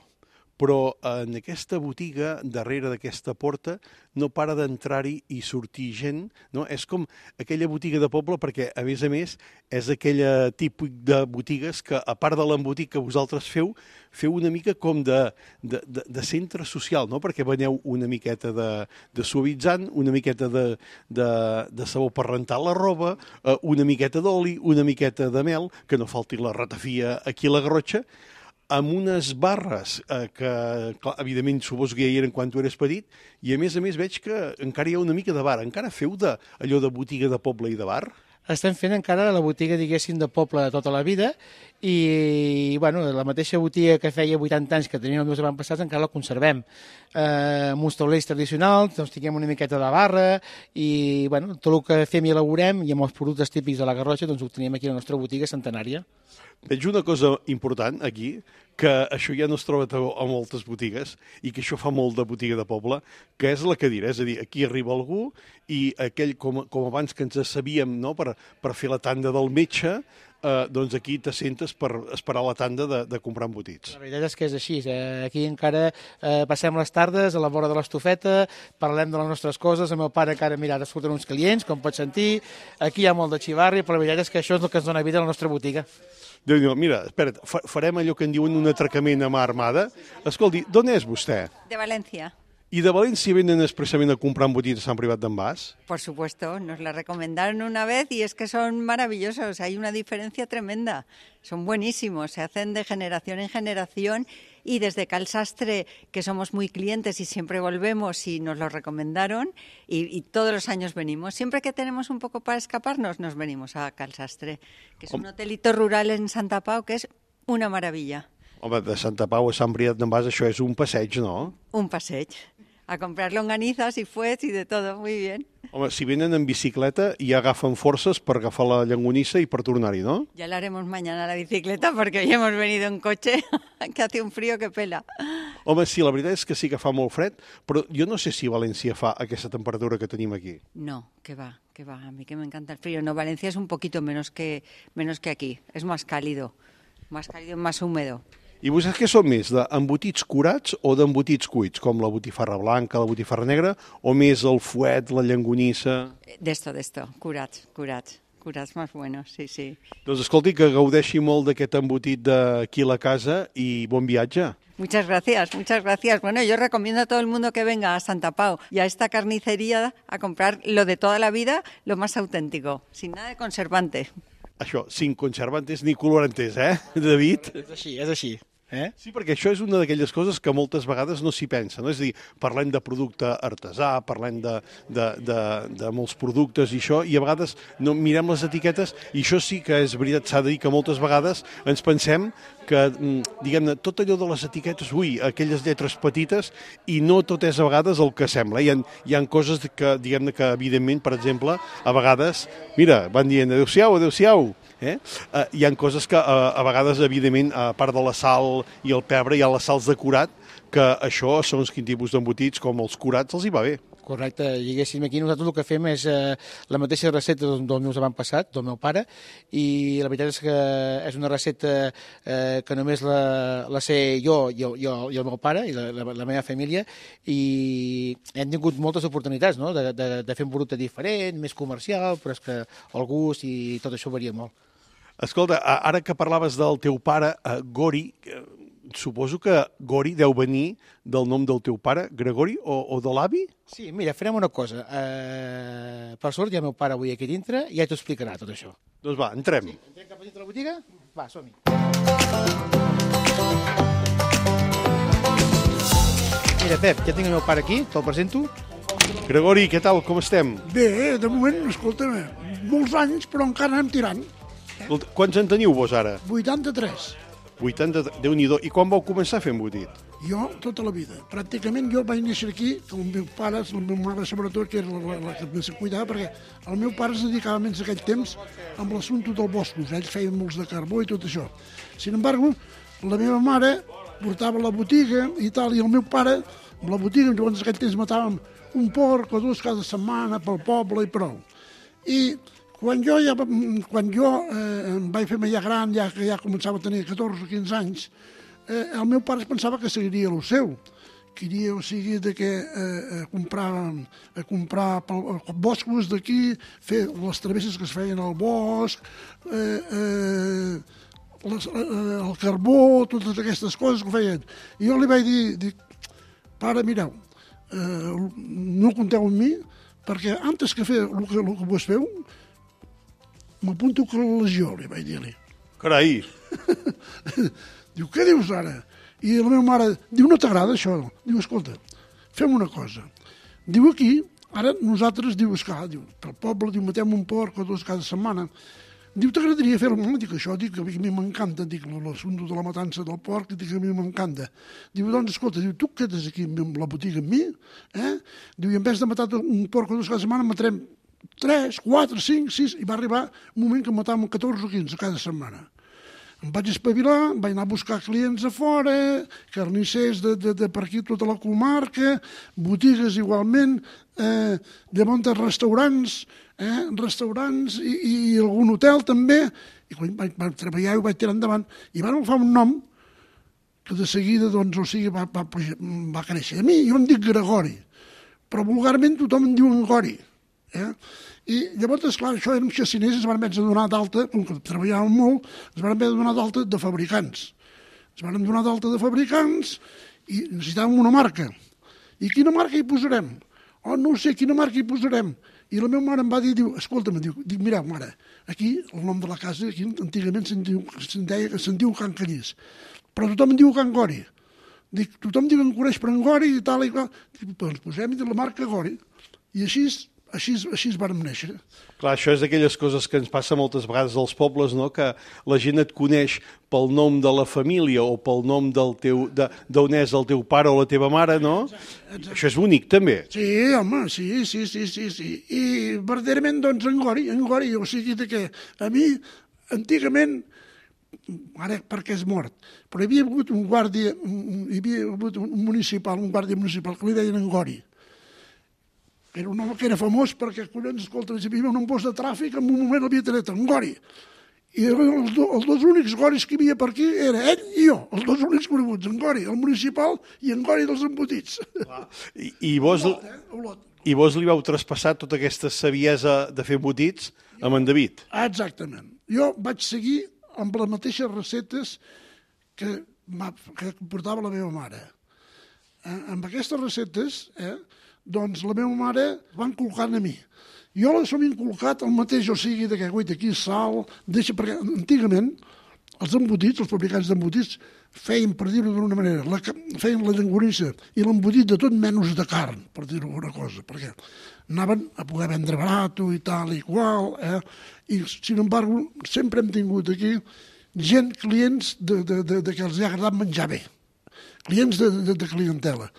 però en aquesta botiga, darrere d'aquesta porta, no para d'entrar-hi i sortir gent, no? És com aquella botiga de poble, perquè, a més a més, és aquell tipus de botigues que, a part de l'embotit que vosaltres feu, feu una mica com de, de, de, de centre social, no? Perquè veneu una miqueta de, de suavitzant, una miqueta de, de, de sabó per rentar la roba, una miqueta d'oli, una miqueta de mel, que no falti la ratafia aquí a la Garrotxa, amb unes barres eh, que, clar, evidentment, suposo que ja hi eren quan tu eres petit, i a més a més veig que encara hi ha una mica de bar. Encara feu de, allò de botiga de poble i de bar? Estem fent encara la botiga, diguéssim, de poble de tota la vida, i bueno, la mateixa botiga que feia vuitanta anys que tenien els meus avantpassats encara la conservem. Eh, amb uns taulells tradicionals, doncs tinguem una miqueta de barra, i bueno, tot el que fem i elaborem, i amb els productes típics de la Garrotxa, doncs ho tenim aquí a la nostra botiga centenària. Veig una cosa important aquí, que això ja no es troba a moltes botigues i que això fa molt de botiga de poble, que és la cadira. És a dir, aquí arriba algú i aquell, com, com abans que ens sabíem, no?, per, per fer la tanda del metge, eh, doncs aquí t'assentes per esperar la tanda de, de comprar embotits. La veritat és que és així. Eh? Aquí encara eh, passem les tardes a la vora de l'estufeta, parlem de les nostres coses, el meu pare encara, mira, ara surten uns clients, com pots sentir, aquí hi ha molt de xivarri, però la veritat és que això és el que ens dona vida a la nostra botiga. Déu-n'hi-do, mira, espera't, fa- farem allò que en diuen un atracament a mà armada. Escolti, d'on és vostè? De Valencia. I de València venen expressament a comprar embotits a Sant Privat d'en Bas? Por supuesto, nos la recomendaron una vez y es que son maravillosos, hay una diferencia tremenda, son buenísimos, se hacen de generación en generación y desde Calsastre, que somos muy clientes y siempre volvemos y nos lo recomendaron y, y todos los años venimos. Siempre que tenemos un poco para escaparnos, nos venimos a Calsastre, que es un hotelito rural en Santa Pau que es una maravilla. Home, de Santa Pau a Sant Privat d'en Bas això és un passeig, no? Un passeig. A comprar longanizas y fuets y de todo, muy bien. Home, si venen en bicicleta ja agafen forces per agafar la llangonissa i per tornar-hi, no? Ya la haremos mañana la bicicleta porque hoy hemos venido en coche, que hace un frío que pela. Home, sí, la veritat és que sí que fa molt fred, però jo no sé si València fa aquesta temperatura que tenim aquí. No, que va, que va, a mí que me encanta el frío. No, Valencia es un poquito menos que, menos que aquí, es más cálido, más cálido y más húmedo. I vostès què són més, d'embotits curats o d'embotits cuits, com la botifarra blanca, la botifarra negra, o més el fuet, la llangonissa? D'esto, d'esto, curats, curats, curats más buenos, sí, sí. Doncs escolti, que gaudeixi molt d'aquest embotit d'aquí a la casa i bon viatge. Muchas gracias, muchas gracias. Bueno, yo recomiendo a todo el mundo que venga a Santa Pau y a esta carnicería a comprar lo de toda la vida, lo más auténtico, sin nada de conservante. Això, sin conservantes ni colorantes, eh, David? És així, és així. Eh? Sí, perquè això és una d'aquelles coses que moltes vegades no s'hi pensa, no? És a dir, parlem de producte artesà, parlem de, de, de, de molts productes i això, i a vegades no mirem les etiquetes, i això sí que és veritat, s'ha de dir que moltes vegades ens pensem que, diguem-ne, tot allò de les etiquetes, ui, aquelles lletres petites, i no tot és a vegades el que sembla. Hi ha, hi ha coses que, diguem-ne, que evidentment, per exemple, a vegades, mira, van dient adéu-siau, adéu-siau, Eh? Uh, hi ha coses que uh, a vegades, evidentment, a part de la sal i el pebre, hi ha les sals de curat, que això, segons quin tipus d'embotits, com els curats, els hi va bé. Correcte, diguéssim, aquí nosaltres el que fem és eh, la mateixa recepta dels, dels meus avantpassats, del meu pare, i la veritat és que és una recepta eh, que només la, la sé jo i el, i, el, i el meu pare i la, la, la meva família, i hem tingut moltes oportunitats, no?, de, de, de fer un producte diferent, més comercial, però és que el gust i tot això varia molt. Escolta, ara que parlaves del teu pare, uh, Gori, uh, suposo que Gori deu venir del nom del teu pare, Gregori, o, o de l'avi? Sí, mira, farem una cosa. Uh, per sort, hi ha el meu pare avui aquí dintre i ja t'ho explicarà tot això. Doncs va, entrem. Sí, entrem cap a dintre la botiga? Va, som-hi. Mira, Pep, ja tinc el meu pare aquí, te'l presento. Gregori, què tal, com estem? Bé, de moment, escolta'm, molts anys, però encara anem tirant. Escolta, quants en teniu vos ara? vuitanta-tres. vuitanta, Déu-n'hi-do. I quan vau començar a fer embotit? Jo, tota la vida. Pràcticament jo vaig néixer aquí, que el meu pare, la meva mare sobretot, que era la, la que més se cuidava, perquè el meu pare es dedicava menys aquell temps amb l'assumpte dels boscos. Ell feia molts de carbó i tot això. Sin embargo, la meva mare portava la botiga i tal, i el meu pare, amb la botiga, llavors aquell temps matàvem un porc o dos cada setmana pel poble i prou. I quan jo, ja, quan jo eh, em vaig fer ja gran, ja que ja començava a tenir catorze o quinze anys, eh, el meu pare pensava que seguiria el seu. Queria, o sigui, de que eh, a comprar, a comprar pel, boscos d'aquí, fer les travesses que es feien al bosc, eh, eh, les, eh, el carbó, totes aquestes coses que ho feien. I jo li vaig dir, dic, pare, mireu, eh, no compteu amb mi, perquè antes que fer el que, el que vos feu, m'apunto a la legió, li vaig dir-li. Carai! Diu, què dius ara? I la meva mare diu, no t'agrada això? Diu, escolta, fem una cosa. Diu, aquí, ara nosaltres, diu, esclar, diu, pel poble, diu, matem un porc o dos cada setmana. Diu, t'agradaria fer-ho? Dic, això, dic, a mi m'encanta, dic, l'assumpte de la matança del porc, dic, a mi m'encanta. Diu, doncs, escolta, diu, tu quedes aquí amb la botiga amb mi, eh? Diu, i en vez de matar un porc o dos cada setmana, matarem tres, quatre, cinc, sis, i va arribar un moment que matàvem catorze o quinze cada setmana. Em vaig espavilar, vaig anar a buscar clients a fora, carnissers de, de, de per aquí tota la comarca, botigues igualment, eh, llavors restaurants, eh, restaurants i, i, i algun hotel també, i quan vaig, vaig treballar i ho vaig tirar endavant, i van agafar un nom que de seguida, doncs, o sigui, va, va, va créixer. A mi, jo em dic Gregori, però vulgarment tothom em diu Angori. Eh? I llavors, esclar, això érem xaciners, ens van haver de donar d'alta, com que treballàvem molt, ens van haver de donar d'alta de fabricants. Ens van donar d'alta de fabricants i necessitàvem una marca. I quina marca hi posarem? Oh, no sé, quina marca hi posarem? I la meva mare em va dir, diu, escolta'm, diu, dic, mireu, mare, aquí, el nom de la casa, aquí antigament se'n diu, se'n deia que se'n diu Can Callís, però tothom en diu Can Gori. Dic, tothom diu que em coneix per en Gori i tal i qual. Dic, doncs posem-hi la marca Gori. I així, així, així vàrem néixer. Clar, això és d'aquelles coses que ens passa moltes vegades als pobles, no? Que la gent et coneix pel nom de la família o pel nom del teu, d'on és el teu pare o la teva mare, no? Exacte, exacte. Això és bonic, també. Sí, home, sí, sí, sí, sí, sí. I verdaderament, doncs, en Gori, en Gori, o sigui que a mi, antigament, ara perquè és mort, però hi havia hagut un guàrdia, hi havia hagut un municipal, un guàrdia municipal, que li deien en Gori. Era un home que era famós perquè, collons, escolta, hi havia un post de tràfic, en un moment l'havia tret en Gori. I els, do, els dos únics Goris que hi havia per aquí era ell i jo, els dos únics coneguts, en Gori, el municipal, i en Gori dels embotits. I, i, vos, Olot, eh? Olot. I vos li vau traspassar tota aquesta saviesa de fer embotits amb en David? Exactament. Jo vaig seguir amb les mateixes receptes que, que portava la meva mare. Eh, amb aquestes receptes, eh, doncs la meva mare va inculcant a mi. Jo les hem inculcat el mateix, o sigui, de que, guaita, aquí sal, deixa, perquè antigament els embotits, els fabricants d'embotits, feien, per dir-ho d'una manera, la, feien la llonganissa i l'embotit de tot menys de carn, per dir-ho alguna cosa, perquè anaven a poder vendre barat i tal i qual, eh? I, sin embargo, sempre hem tingut aquí gent, clients de, de, de, de que els ha agradat menjar bé, clients de, de, de clientela.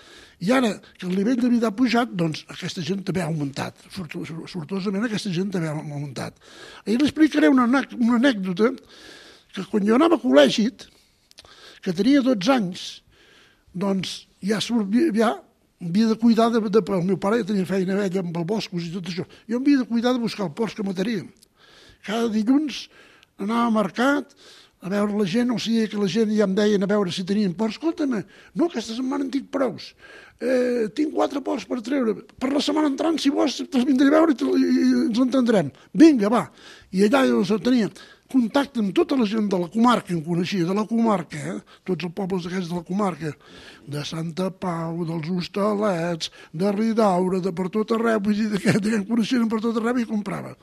I ara que el nivell de vida ha pujat, doncs aquesta gent també ha augmentat, sortosament aquesta gent també ha augmentat. I li explicaré una, una anècdota que quan jo anava a col·legi, que tenia dotze anys, doncs ja, ja havia de cuidar, de, de, el meu pare ja tenia feina vella amb els boscos i tot això, jo havia de cuidar de buscar el porc que mataria. Cada dilluns anava al mercat a veure la gent, o sigui que la gent ja em deien a veure si tenien porcs. Escolta'm, no, aquesta setmana en tinc prous. Eh, tinc quatre porcs per treure. Per la setmana entrant, si vols, te'ls vindré a veure i, i ens entendrem. Vinga, va. I allà jo tenia contacte amb tota la gent de la comarca, em coneixia, de la comarca, eh? Tots els pobles aquests de la comarca, de Santa Pau, dels Hostalets, de Ridaura, de per tot arreu, vull dir, que em coneixien per tot arreu i comprava.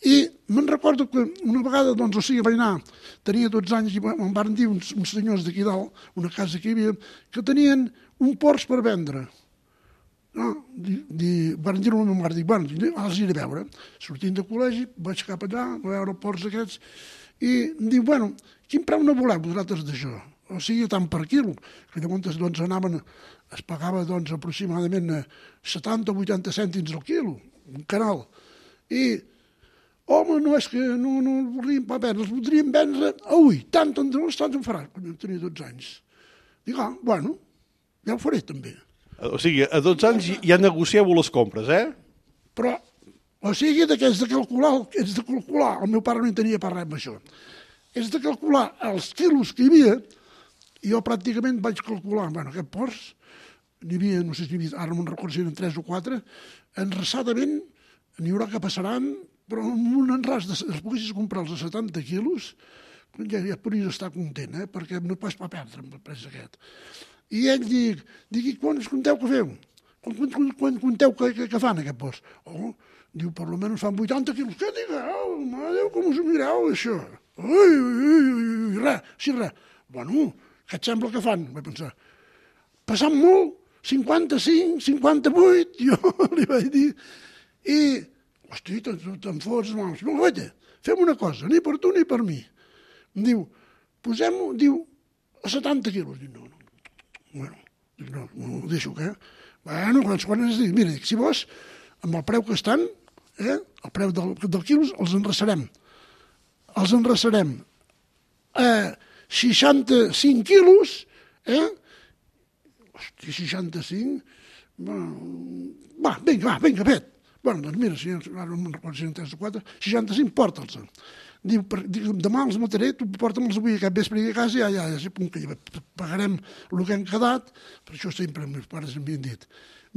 I me'n recordo que una vegada, doncs, o sigui, vaig anar, tenia dotze anys i em van dir uns, uns senyors d'aquí dalt, una casa que hi havia, que tenien un porc per vendre. No, di, di, van dir-ho a la meva mare, dic, bueno, els iré a veure. Sortint de col·legi, vaig cap allà, a veure els porcs aquests, i em diu, bueno, quin preu no voleu vosaltres d'això? O sigui, tant per quilo, que llavors doncs, anaven, es pagava doncs, aproximadament setanta o vuitanta cèntims al quilo, un canal. I home, no és que no, no el voldríem pas vendre, els voldríem vendre, ui, tant, tant, tant em farà, quan jo tenia dotze anys. Dic, ah, bueno, ja ho faré també. O sigui, a dotze anys ja negocieu les compres, eh? Però, o sigui, que és de calcular, és de calcular, el meu pare no hi tenia per res amb això, és de calcular els quilos que hi havia, i jo pràcticament vaig calcular, bueno, aquest porc, n'hi havia, no sé si n'hi havia, ara no me'n recordo si eren tres o quatre, enraçadament n'hi haurà que passaran, però amb un enràs, de, els poguessis comprar els de setanta quilos, ja, ja podries estar content, eh? Perquè no pas per perdre amb el pres aquest. I ell dic, dic, quants compteu que feu? Quan, quan, quan compteu que, que, que fan aquest porc? Oh, diu, per almenys fan vuitanta quilos. Què digueu? Mare Déu, com us ho mireu, això? Ui, ui, ui, ui, res, sí, res. Bueno, què et sembla que fan? Vaig pensar, passant molt, cinquanta-cinc, cinquanta-vuit, jo li vaig dir, i hosti, te'n fots, mams. No, guaita, fem una cosa, ni per tu ni per mi. Em diu, posem-ho, diu, a setanta quilos. Dic, no, no. Bueno, dic, no, no ho deixo, què? Bueno, quan, quan es diu, mira, dic, si vols, amb el preu que estan, eh, el preu del, del quilos, els enraçarem. Els enraçarem a seixanta-cinc quilos, eh? Hòstia, seixanta-cinc... Va, vinga, va, vinga, fet. Bueno, doncs mira, si ara no me'n recordo si eren tres o quatre, seixanta-cinc, porta'ls. Diu, demà els mataré, tu porta'ls avui aquest vespre a casa, ja, ja, ja, ja, pagarem el que hem quedat, per això sempre els meus pares m'havien dit,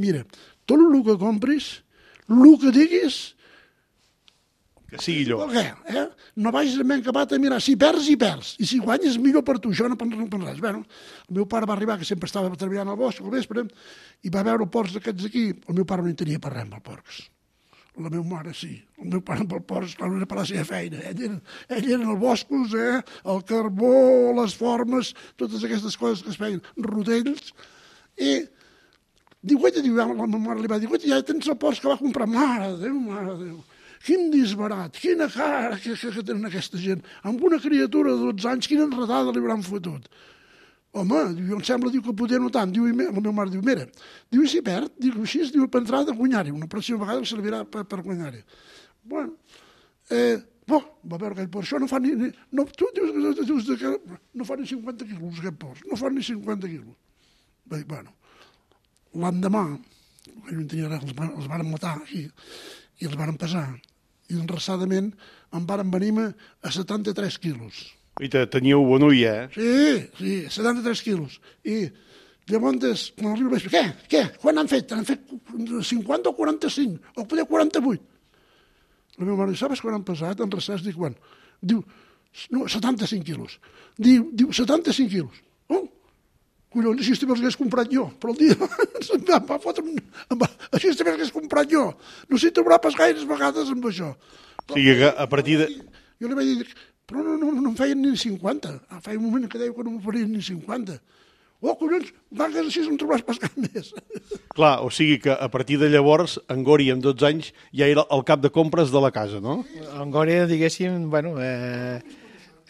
mira, tot el que compris, el que diguis, que sigui allò. Què, eh? No vagis amb acabat a mirar, si perds, hi perds, i si guanyes, millor per tu, això no per res. Bueno, el meu pare va arribar, que sempre estava treballant al bosc al vespre, i va veure porcs d'aquests aquí, el meu pare no hi tenia per res amb els porcs. La meva mare sí, el meu pare amb els porcs, clar, no era per la seva feina, ell era, ell era en els boscos, eh? El carbó, les formes, totes aquestes coses que es feien, rodells, i diu, guaita, diu, la meva mare li va dir, guaita, ja tens el porc que va comprar, mare de Déu, mare de Déu. Quin disbarat, quina cara que, que, que tenen aquesta gent. Amb una criatura de dotze anys, quina enredada li hauran fotut. Home, diu, em sembla diu, que poder no tant. Diu, la meva mare diu, mira, diu, i si perd, diu, així, diu, per entrar de guanyar-hi. Una pròxima vegada el servirà per, per guanyar-hi. Bueno, eh, bo, va veure aquell porc, això no fa ni... ni no, tu dius, dius que no fa ni cinquanta quilos, aquest porc, no fa ni cinquanta quilos. Va dir, bueno, l'endemà, no tenia res, els, els van matar aquí, i els van pesar, i enreçadament em van venir a setanta-tres quilos. I teníeu bon ull, eh? Sí, sí, setanta-tres quilos. I llavors, quan arriba el vespre, què? Què? Quan han fet? Han fet cinquanta o quaranta-cinc? O poder quaranta-vuit? La meva mare diu, sabes quan han pesat? Enreçats, dic, quan? Diu, no, setanta-cinc quilos. Diu, diu setanta-cinc quilos. Oh, collons, així també els hagués comprat jo, però el dia em va fotre un... Així també els hagués comprat jo. No s'hi trobarà pas gaires vegades amb això. O sigui que a partir de... Jo li vaig dir, però no, no, no em feien ni cinquanta. Feia un moment que deia que no em farien ni cinquanta. Oh, collons, vagues així no em trobaràs pas cap més. Clar, o sigui que a partir de llavors, en Gori, amb dotze anys, ja era el cap de compres de la casa, no? En Gori, diguéssim, bueno... Eh...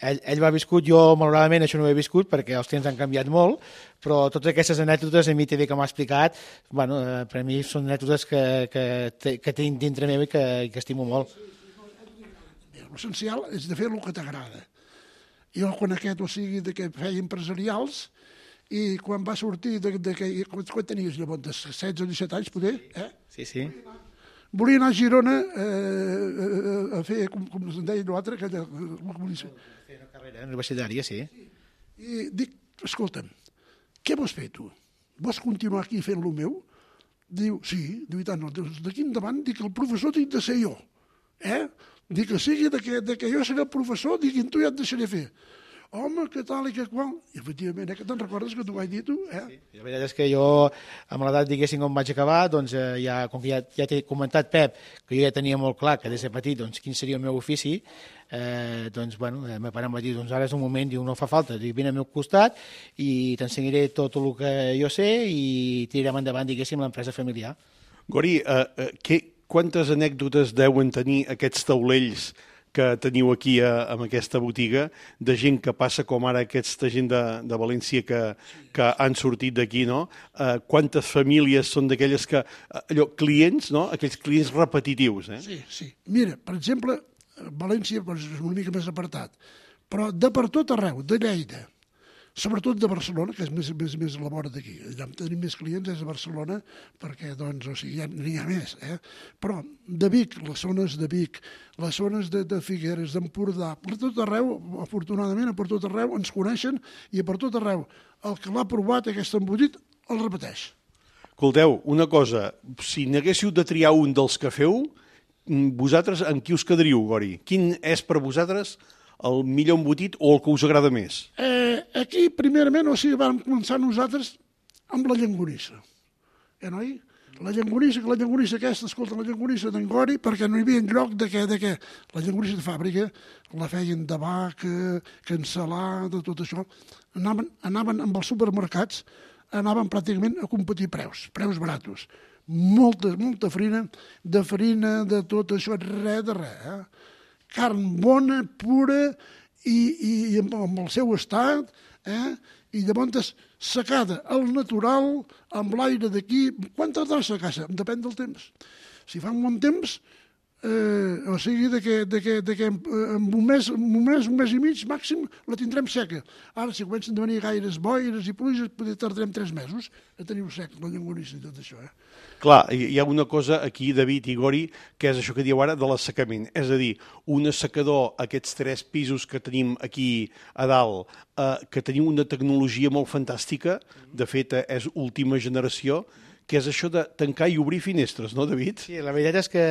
Ell, ell va viscut, jo malauradament això no ho he viscut perquè els temps han canviat molt, però totes aquestes anècdotes a mi també que m'ha explicat, bueno, per a mi són anècdotes que, que, que tinc dintre meu i que, que estimo molt. L'essencial és de fer el que t'agrada. Jo quan aquest, o sigui, de que feia empresarials, i quan va sortir, de, de que, quan tenies llavors, setze o disset anys, poder, eh? Sí, sí. Volia anar a Girona eh, a fer, com, com es deia l'altre, que volia fer una carrera universitària, sí. I dic, escolta'm, què vols fer tu? Vols continuar aquí fent el meu? Diu, sí, diu, i tant, no, d'aquí endavant, dic, el professor tinc de ser jo, eh? Dic, que sigui de que, de que jo seré el professor, dic, tu ja et deixaré fer. Home, que tal i que qual. I efectivament, eh, que te'n recordes que t'ho vaig dir tu? Eh? Sí, la veritat és que jo, amb l'edat, diguéssim, on vaig acabar, doncs eh, ja, com que ja, ja t'he comentat, Pep, que jo ja tenia molt clar que des de petit, doncs, quin seria el meu ofici, eh, doncs, bueno, el meu pare em va dir, doncs ara és un moment, diu, no fa falta, diu, vine al meu costat i t'ensenyaré tot el que jo sé i tirarem endavant, diguéssim, l'empresa familiar. Gori, eh, eh, que, quantes anècdotes deuen tenir aquests taulells que teniu aquí a, amb aquesta botiga, de gent que passa com ara aquesta gent de, de València que, que han sortit d'aquí, no? Eh, quantes famílies són d'aquelles que, allò, clients, no? Aquells clients repetitius, eh? Sí, sí. Mira, per exemple, València doncs, és una mica més apartat, però de per tot arreu, de Lleida, sobretot de Barcelona, que és més, més, més a la vora d'aquí. Allà on tenim més clients és a Barcelona, perquè, doncs, o sigui, ja n'hi ha més, eh? Però de Vic, les zones de Vic, les zones de, de Figueres, d'Empordà, per tot arreu, afortunadament, per tot arreu ens coneixen i per tot arreu el que l'ha provat aquest embotit el repeteix. Escolteu, una cosa, si n'haguéssiu de triar un dels que feu, vosaltres en qui us quedaríeu, Gori? Quin és per vosaltres el millor embotit o el que us agrada més? Eh, aquí, primerament, o sigui, vam començar nosaltres amb la llonganissa. Eh, noi? La llonganissa, que la llonganissa aquesta, escolta, la llonganissa d'en Gori, perquè no hi havia lloc de què, de què. La llonganissa de fàbrica la feien de vaca, cansalada, tot això. Anaven, anaven amb els supermercats, anaven pràcticament a competir preus, preus baratos. Molta, molta farina, de farina, de tot això, res de res, eh? Carn bona, pura i, i, i amb el seu estat, eh? I llavors secada al natural, amb l'aire d'aquí. Quan tardarà a secar-se? Depèn del temps. Si fa un bon temps, Eh, o sigui, de que, de que, de que en, en un, mes, en un mes, un mes i mig màxim la tindrem seca. Ara, si comencen a venir gaires boires i pluges, potser tardarem tres mesos a tenir-ho sec, la llonganissa i tot això. Eh? Clar, hi ha una cosa aquí, David i Gori, que és això que dieu ara de l'assecament. És a dir, un assecador, aquests tres pisos que tenim aquí a dalt, eh, que tenim una tecnologia molt fantàstica, de fet, és última generació, que és això de tancar i obrir finestres, no, David? Sí, la veritat és que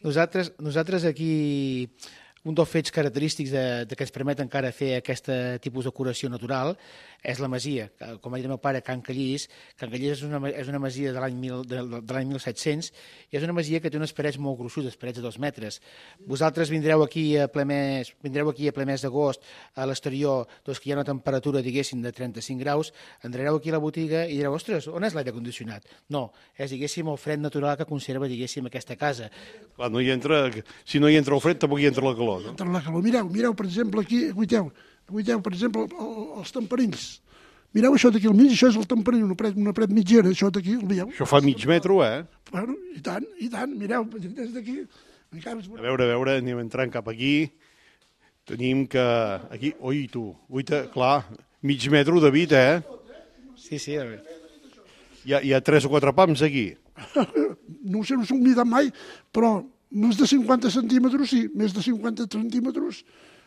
nosaltres, nosaltres aquí, un dels fets característics de, de que ens permet encara fer aquest tipus de curació natural és la masia. Com ha dit el meu pare, Can Callís, Can Callís és una, és una masia de l'any mil set-cents i és una masia que té unes parets molt gruixudes, parets de dos metres. Vosaltres vindreu aquí a ple mes, vindreu aquí a ple mes d'agost a l'exterior, doncs que hi ha una temperatura, diguéssim, de trenta-cinc graus, entrareu aquí a la botiga i direu, ostres, on és l'aire condicionat? No, és, diguéssim, el fred natural que conserva, diguéssim, aquesta casa. Clar, no hi entra, si no hi entra el fred, tampoc hi entra la calor, no? Entra la calor. Mireu, mireu, per exemple, aquí, guiteu, guiteu, per exemple, els temperills. Mireu això d'aquí al mig, això és el temperill, una paret, una paret mitgera, això d'aquí, el veieu? Això fa mig metro, eh? Bueno, i tant, i tant, mireu, des d'aquí... A veure, a veure, anem entrant cap aquí. Tenim que... Aquí, oi, tu, uita, clar, mig metro, David, eh? Sí, sí, a veure. Hi ha, hi ha tres o quatre pams aquí. No ho sé, no s'ho mirat mai, però més de cinquanta centímetres, sí, més de cinquanta centímetres,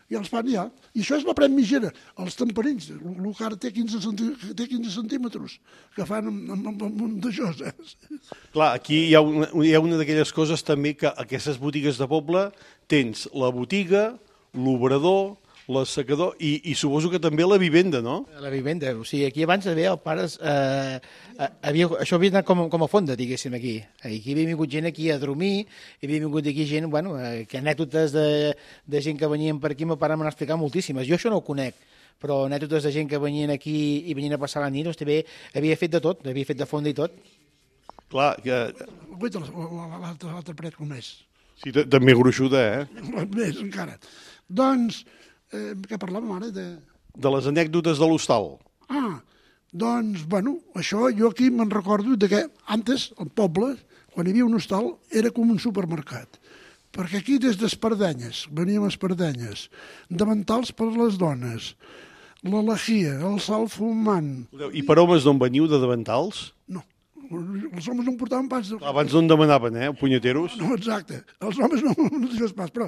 i els fan ja. I això és la paret mitgera, els temperills, el que ara té quinze centímetres, que fan amb, amb, amb, amb d'això. Eh? Clar, aquí hi ha una, hi ha una d'aquelles coses també que aquestes botigues de poble tens la botiga, l'obrador, l'assecador i, i suposo que també la vivenda, no? La vivenda, o sigui, aquí abans havia el pares... Eh, havia, això havia anat com, com a fonda, diguéssim, aquí. Aquí havia vingut gent aquí a dormir, i havia vingut aquí gent, bueno, eh, que anècdotes de, de gent que venien per aquí, meu pare m'ha explicat moltíssimes. Jo això no ho conec, però anècdotes de gent que venien aquí i venien a passar la nit, doncs també havia fet de tot, havia fet de fonda i tot. Clar, que... Guaita, l'altra paret com és. Sí, també gruixuda, eh? Més, encara. Doncs... Eh, què parlàvem ara? De, de les anècdotes de l'hostal. Ah, doncs, bueno, això jo aquí me'n recordo de que antes, al poble, quan hi havia un hostal, era com un supermercat. Perquè aquí des d'espardenyes, veníem a espardenyes, davantals per les dones, la lejia, el sal fumant... I per homes d'on veniu, de davantals? No. Els homes no em portaven pas... De... Abans no en demanaven, eh, punyeteros? No, exacte. Els homes no, no deixes pas, però...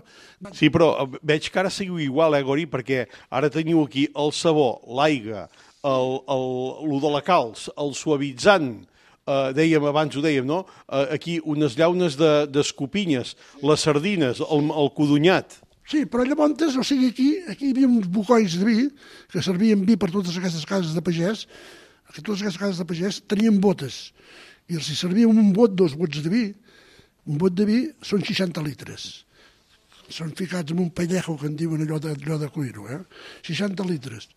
Sí, però veig que ara seguiu igual, eh, Gori, perquè ara teniu aquí el sabó, l'aigua, el, el, el de la calç, el suavitzant, eh, dèiem, abans ho dèiem, no? Eh, aquí unes llaunes d'escopinyes, de, les sardines, el, el codonyat. Sí, però llavors, o sigui, aquí, aquí hi havia uns bucois de vi, que servien vi per totes aquestes cases de pagès, que totes aquestes cases de pagès tenien botes, i els hi servia un bot, dos bots de vi. Un bot de vi són seixanta litres. Són ficats en un pellejo, que en diuen allò de, allò de cuiro, eh? seixanta litres.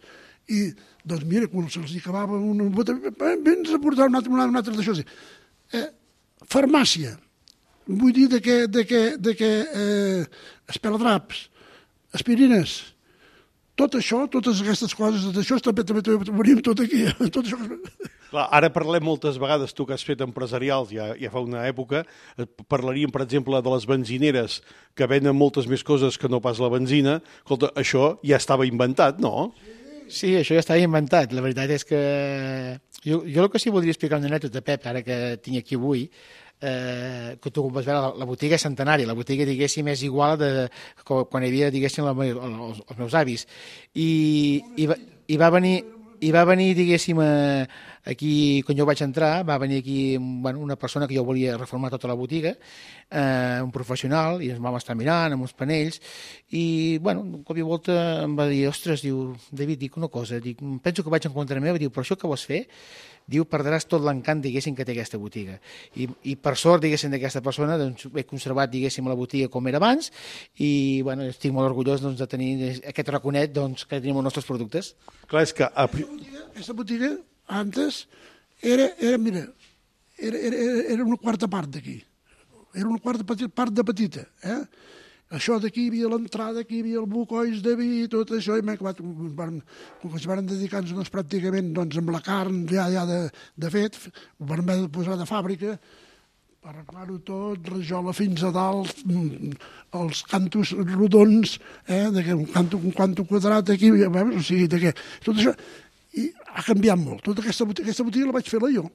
I, doncs, mira, quan se'ls acabava una bota, vens a portar un altre, un altre d'això. Eh, farmàcia. Vull dir de que, de que, de que eh, espeladraps, aspirines, tot això, totes aquestes coses, tot això també, també, també venim tot aquí. Tot això. Clar, ara parlem moltes vegades, tu que has fet empresarials ja, ja fa una època, parlaríem, per exemple, de les benzineres que venen moltes més coses que no pas la benzina. Escolta, això ja estava inventat, no? Sí, això ja estava inventat. La veritat és que jo, jo el que sí voldria explicar una anècdota, Pep, ara que tinc aquí avui, eh, que tu vas veure, la, la botiga és centenària, la botiga, diguéssim, és igual de quan hi havia, diguéssim, la, els, els meus avis. I, i, va, i va venir, i va venir, diguéssim, eh, aquí, quan jo vaig entrar, va venir aquí bueno, una persona que jo volia reformar tota la botiga, eh, un professional, i ens vam estar mirant amb uns panells, i, bueno, un cop i volta em va dir, ostres, diu, David, dic una cosa, dic, penso que vaig en contra meva, diu, però això que vols fer? Diu, perdràs tot l'encant, diguéssim, que té aquesta botiga. I, i per sort, diguéssim, d'aquesta persona, doncs, he conservat, diguéssim, la botiga com era abans, i, bueno, estic molt orgullós doncs, de tenir aquest raconet doncs, que tenim els nostres productes. Clar, és que... Aquesta botiga, antes, era, era mira, era, era, era una quarta part d'aquí. Era una quarta part de petita, eh? Això d'aquí hi havia l'entrada, aquí hi havia el bucois de vi i tot això, i m'he acabat, van, com que es van dedicar-nos doncs, pràcticament doncs, amb la carn ja, ja de, de fet, ho van haver de posar de fàbrica, per arreglar-ho tot, rajola fins a dalt, els cantos rodons, eh, de que un canto, un canto quadrat aquí, veus? O sigui, de que tot això, i ha canviat molt. Tota aquesta botiga, aquesta botiga la vaig fer-la jo.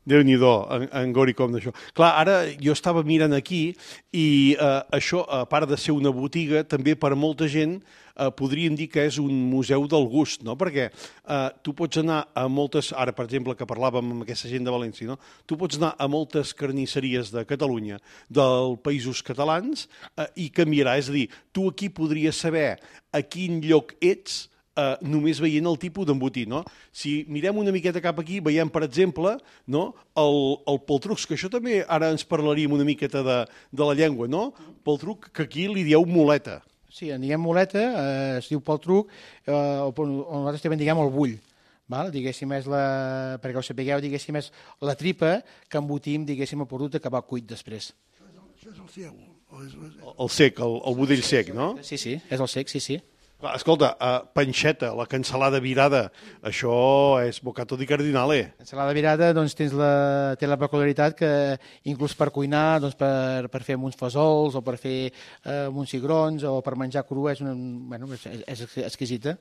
Déu-n'hi-do, en, en Gori, com d'això. Clar, ara jo estava mirant aquí i eh, això, a part de ser una botiga, també per molta gent eh, podríem dir que és un museu del gust, no? Perquè eh, tu pots anar a moltes, ara per exemple que parlàvem amb aquesta gent de València, no? Tu pots anar a moltes carnisseries de Catalunya, dels països catalans, eh, i canviarà, és a dir, tu aquí podries saber a quin lloc ets Uh, només veient el tipus d'embotit, no? Si mirem una miqueta cap aquí, veiem, per exemple, no? el, el poltrucs, que això també ara ens parlaríem una miqueta de, de la llengua, no? Poltruc, que aquí li dieu muleta. Sí, en diguem muleta, eh, es diu poltruc, eh, o, o nosaltres també en diguem el bull. Val? Diguéssim, és la, perquè ho sapigueu, diguéssim, és la tripa que embotim, diguéssim, el producte que va cuit després. Això és el seu. El sec, el, el budell sec, no? Sí, sí, és el sec, sí, sí. Escolta, uh, panxeta, la cansalada virada, això és bocato di cardinale. Cansalada virada, doncs, tens la, té la peculiaritat que inclús per cuinar, doncs, per, per fer uns fesols o per fer eh, uns cigrons o per menjar cru és, una, bueno, és, és exquisita.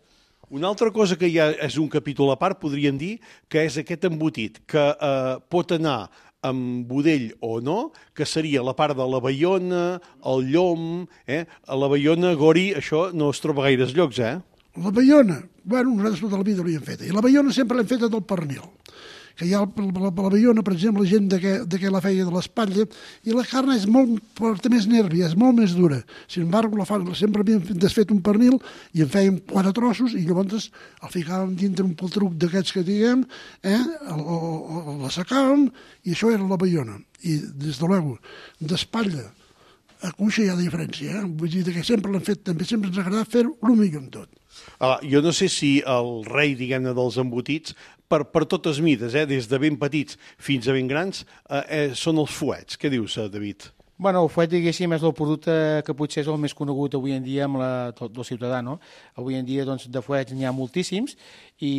Una altra cosa que ja és un capítol a part, podríem dir, que és aquest embotit, que eh, pot anar amb budell o no, que seria la part de la baiona, el llom, eh? A la baiona, Gori, això no es troba gaires llocs, eh? La baiona, bueno, nosaltres tota la vida l'havíem feta, i la baiona sempre l'hem feta del pernil, que hi ha la, la, la baiona, per exemple, la gent de que, de que la feia de l'espatlla, i la carn és molt, porta més nervi, és molt més dura. Sin embargo, la fa, sempre havíem desfet un pernil i en fèiem quatre trossos i llavors el ficàvem dintre un poltruc d'aquests que diguem, eh? L'assecàvem i això era la baiona. I, des de luego, d'espatlla a cuixa hi ha diferència, eh? Vull dir que sempre l'hem fet, també sempre ens ha agradat fer-ho el millor en tot. Ah, jo no sé si el rei, diguem-ne, dels embotits, per, per totes mides, eh, des de ben petits fins a ben grans, eh, eh, són els fuets. Què dius, David? Bueno, el fuet, diguéssim, és el producte que potser és el més conegut avui en dia amb la, tot el ciutadà, no? Avui en dia, doncs, de fuets n'hi ha moltíssims i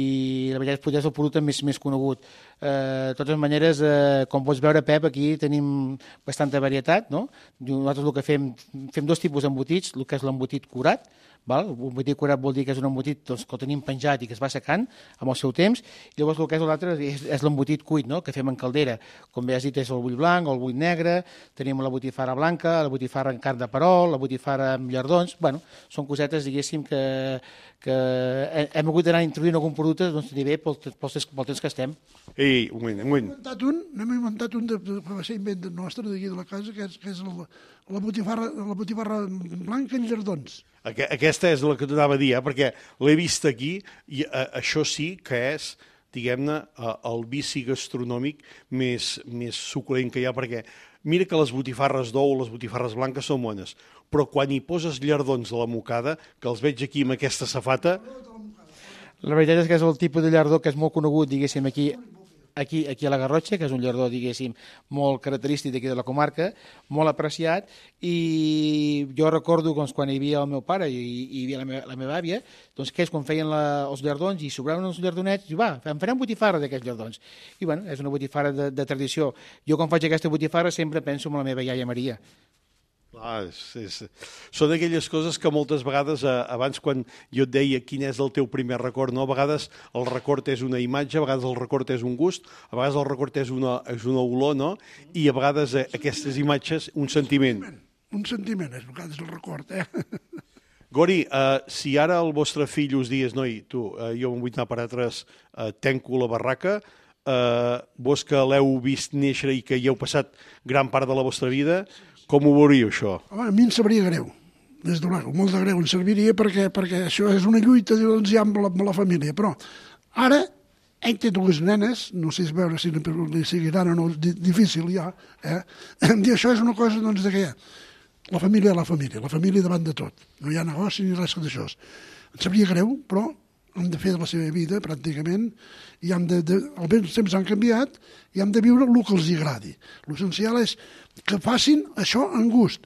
la veritat és potser és el producte més, més conegut. Eh, de totes maneres, eh, com pots veure, Pep, aquí tenim bastanta varietat, no? Nosaltres el que fem, fem dos tipus d'embotits, el que és l'embotit curat, val? Un embotit curat vol dir que és un embotit doncs, que el tenim penjat i que es va secant amb el seu temps, i llavors el que és l'altre és, és l'embotit cuit, no? Que fem en caldera. Com bé has dit, és el bull blanc o el bull negre, tenim la botifarra blanca, la botifarra en carn de perol, la botifarra amb llardons, bueno, són cosetes, diguéssim, que, que hem hagut d'anar introduint algun producte doncs, bé pel, pel, pel temps que estem. Ei, un moment, un moment. Hem inventat un, n'hem inventat un de, de, que va ser invent nostre d'aquí de la casa, que és, que és la, la, botifarra, la botifarra blanca en llardons. Aquesta és la que t'anava a dir, eh? Perquè l'he vist aquí i eh, això sí que és, diguem-ne, eh, el vici gastronòmic més, més suculent que hi ha, perquè mira que les botifarres d'ou, les botifarres blanques són bones, però quan hi poses llardons a la mocada, que els veig aquí amb aquesta safata... La veritat és que és el tipus de llardó que és molt conegut, diguéssim, aquí... Aquí, aquí a la Garrotxa, que és un llardó, diguéssim, molt característic d'aquí de la comarca, molt apreciat, i jo recordo doncs, quan hi havia el meu pare i hi havia la meva, la meva àvia, doncs que és quan feien la, els llardons i sobraven uns llardonets, i va, em farem botifarra d'aquests llardons. I bueno, és una botifarra de, de tradició. Jo quan faig aquesta botifarra sempre penso en la meva iaia Maria. Clar, és, és, són aquelles coses que moltes vegades, eh, abans quan jo et deia quin és el teu primer record, no? A vegades el record és una imatge, a vegades el record és un gust, a vegades el record és una, és una olor, no? I a vegades eh, aquestes imatges, un sentiment. Un sentiment, és a vegades el record, eh? Gori, eh, si ara el vostre fill us digués, noi, tu, eh, jo em vull anar per altres, eh, tenco la barraca, eh, vos que l'heu vist néixer i que hi heu passat gran part de la vostra vida, com ho veuríeu, això? Home, a mi em sabria greu, des de luego, molt de greu em serviria perquè, perquè això és una lluita doncs, ja amb, la, amb la família, però ara ell té dues nenes, no sé veure si li seguiran o no, difícil ja, eh? Em dir això és una cosa doncs, de que la família és la família, la família davant de tot, no hi ha negoci ni res d'això. Em sabria greu, però hem de fer de la seva vida, pràcticament, i hem de, de, els temps han canviat, i hem de viure el que els agradi. L'essencial és que facin això en gust.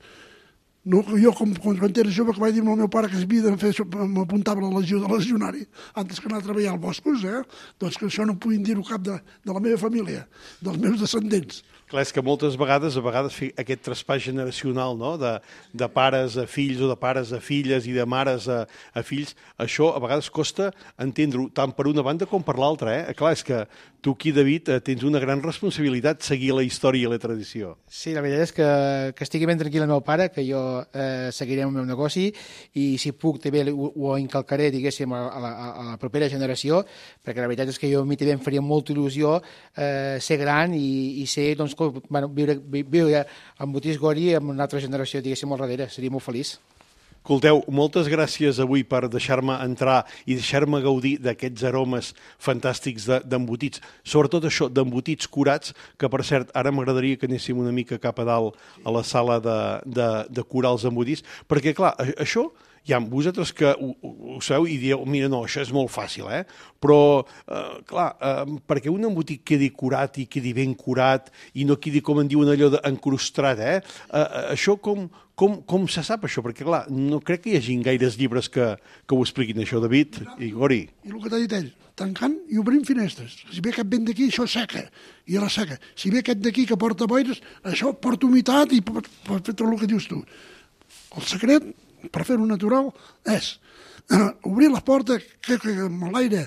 No, jo, com, quan era jove, que vaig dir al meu pare que havia de fer, m'apuntava a la legió de legionari, antes que anar a treballar als boscos, eh? Doncs que això no puguin dir-ho cap de, de la meva família, dels meus descendents. Clar, és que moltes vegades, a vegades fer aquest traspàs generacional, no?, de, de pares a fills o de pares a filles i de mares a, a fills, això a vegades costa entendre-ho tant per una banda com per l'altra, eh? Clar, és que tu aquí, David, tens una gran responsabilitat seguir la història i la tradició. Sí, la veritat és que, que estigui ben tranquil el meu pare, que jo eh, seguiré el meu negoci i si puc també ho, ho incalcaré, diguéssim, a la, a la propera generació, perquè la veritat és que jo a mi també em faria molta il·lusió eh, ser gran i, i ser, doncs, bueno, viure, viure amb Botís Gori amb una altra generació, diguéssim, al darrere. Seria molt feliç. Escolteu, moltes gràcies avui per deixar-me entrar i deixar-me gaudir d'aquests aromes fantàstics d'embotits. Sobretot això, d'embotits curats, que per cert, ara m'agradaria que anéssim una mica cap a dalt a la sala de, de, de curar els embotits, perquè clar, això... Ja, vosaltres que ho, ho sabeu i dieu, mira, no, això és molt fàcil, eh? Però, eh, clar, eh, perquè un embotit quedi curat i quedi ben curat i no quedi, com en diuen allò, encrustat, eh? eh? Això com, com, com se sap, això? Perquè, clar, no crec que hi hagi gaires llibres que, que ho expliquin, això, David i Gori. I el que t'ha dit ell, tancant i obrint finestres. Si ve aquest vent d'aquí, això seca, i a la seca. Si ve aquest d'aquí que porta boires, això porta humitat i pot, pot fer tot el que dius tu. El secret, per fer-ho natural, és uh, obrir la porta que, que, amb l'aire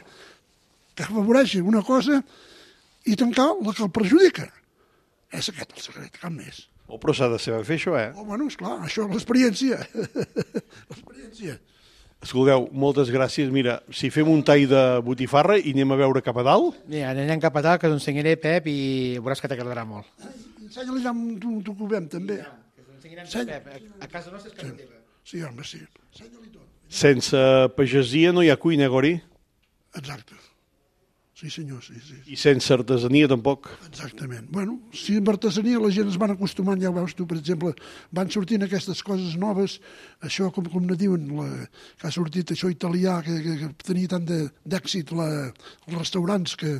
que afavoreixi una cosa i tancar la que el perjudica. És aquest el secret, cap més. Oh, però s'ha de saber fer això, eh? Oh, bueno, esclar, això és l'experiència. L'experiència. Escolteu, moltes gràcies. Mira, si fem un tall de botifarra i anem a veure cap a dalt... Mira, anem cap a dalt, que t'ensenyaré, Pep, i veuràs que t'agradarà molt. Ensenya-li ja amb tu que ho veiem, també. Que t'ensenyarem, Pep, a casa nostra és casa teva. Sí, home, sí. Ensenya-li tot. Sense pagesia no hi ha cuina, Gori? Exacte. Sí, senyor, sí, sí. I sense artesania, tampoc? Exactament. Bueno, si amb artesania la gent es van acostumant, ja ho veus tu, per exemple, van sortint aquestes coses noves, això, com, com ne diuen, la, que ha sortit això italià, que, que, que tenia tant d'èxit els restaurants que...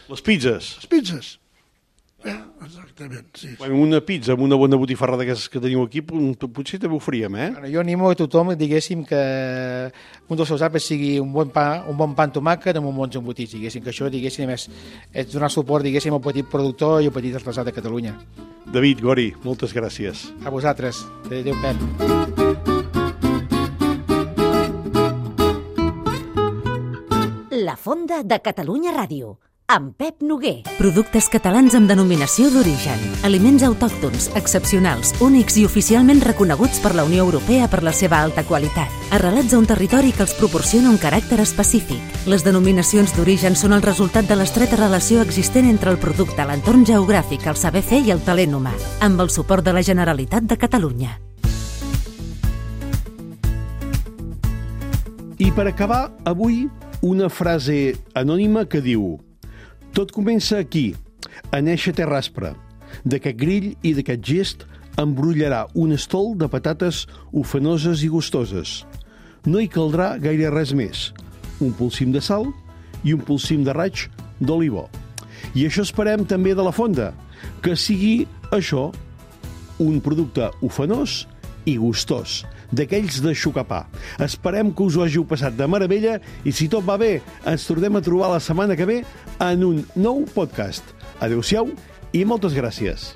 Les pizzas. Les pizzas. Eh, exactament, sí. Bueno, una pizza amb una bona botifarra d'aquestes que teniu aquí, potser també ho faríem, eh? Bueno, jo animo a tothom, diguéssim, que un dels seus àpats sigui un bon pa, un bon pa amb tomàquet amb un bons embotits, diguéssim, que això, diguéssim, és, és donar suport, diguéssim, al petit productor i al petit artesà de Catalunya. David, Gori, moltes gràcies. A vosaltres. Adéu, Pep. La Fonda de Catalunya Ràdio, amb Pep Noguer. Productes catalans amb denominació d'origen. Aliments autòctons, excepcionals, únics i oficialment reconeguts per la Unió Europea per la seva alta qualitat. Arrelats a un territori que els proporciona un caràcter específic. Les denominacions d'origen són el resultat de l'estreta relació existent entre el producte, l'entorn geogràfic, el saber fer i el talent humà, amb el suport de la Generalitat de Catalunya. I per acabar, avui, una frase anònima que diu: tot comença aquí, a néixer Terraspre. D'aquest grill i d'aquest gest embrollarà un estol de patates ufanoses i gustoses. No hi caldrà gaire res més. Un polsim de sal i un polsim de raig d'olivó. I això esperem també de la Fonda, que sigui això, un producte ufanós i gustós, d'aquells de xucapà. Esperem que us ho hàgiu passat de meravella i si tot va bé, ens tornem a trobar la setmana que ve en un nou podcast. Adéu-siau i moltes gràcies.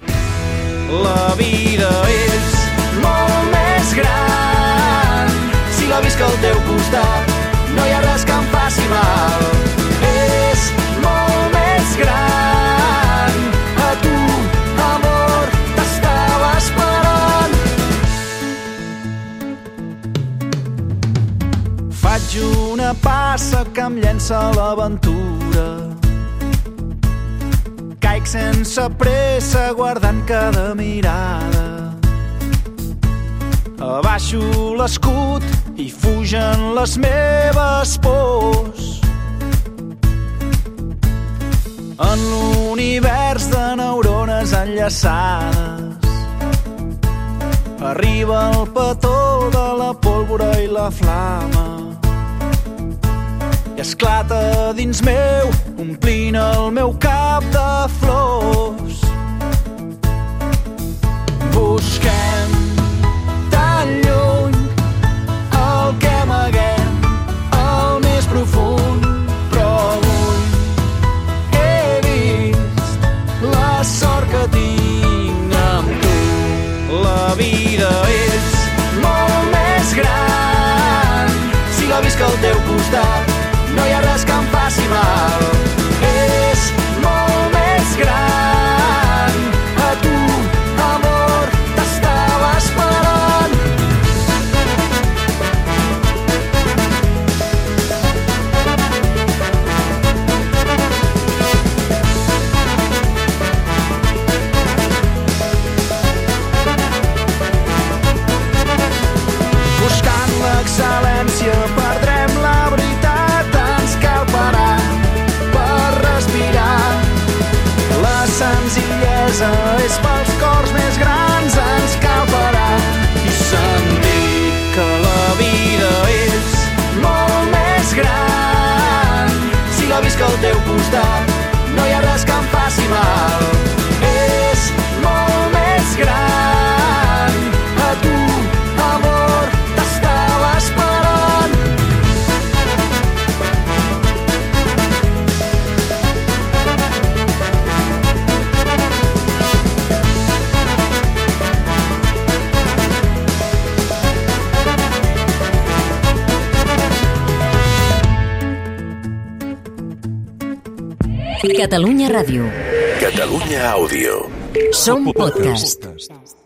La vida és molt més gran si la visc al teu costat, no hi ha res que em faci mal. És molt més gran, a tu, amor, t'estava esperant. Faig una passa que em llença a l'aventura. Caic sense pressa guardant cada mirada. Abaixo l'escut i fugen les meves pors. En l'univers de neurones enllaçades arriba el petó de la pólvora i la flama i esclata dins meu, omplint el meu cap de flors. Busquem tan lluny el que amaguem al més profund, però avui he vist la sort que tinc casa és pels cors més grans, ens cal parar i sentir que la vida és molt més gran. Si la visc al teu costat, no hi ha res que em faci mal. És molt més gran. A tu, amor, t'estava esperant. Catalunya Ràdio. Catalunya Àudio. Som podcast.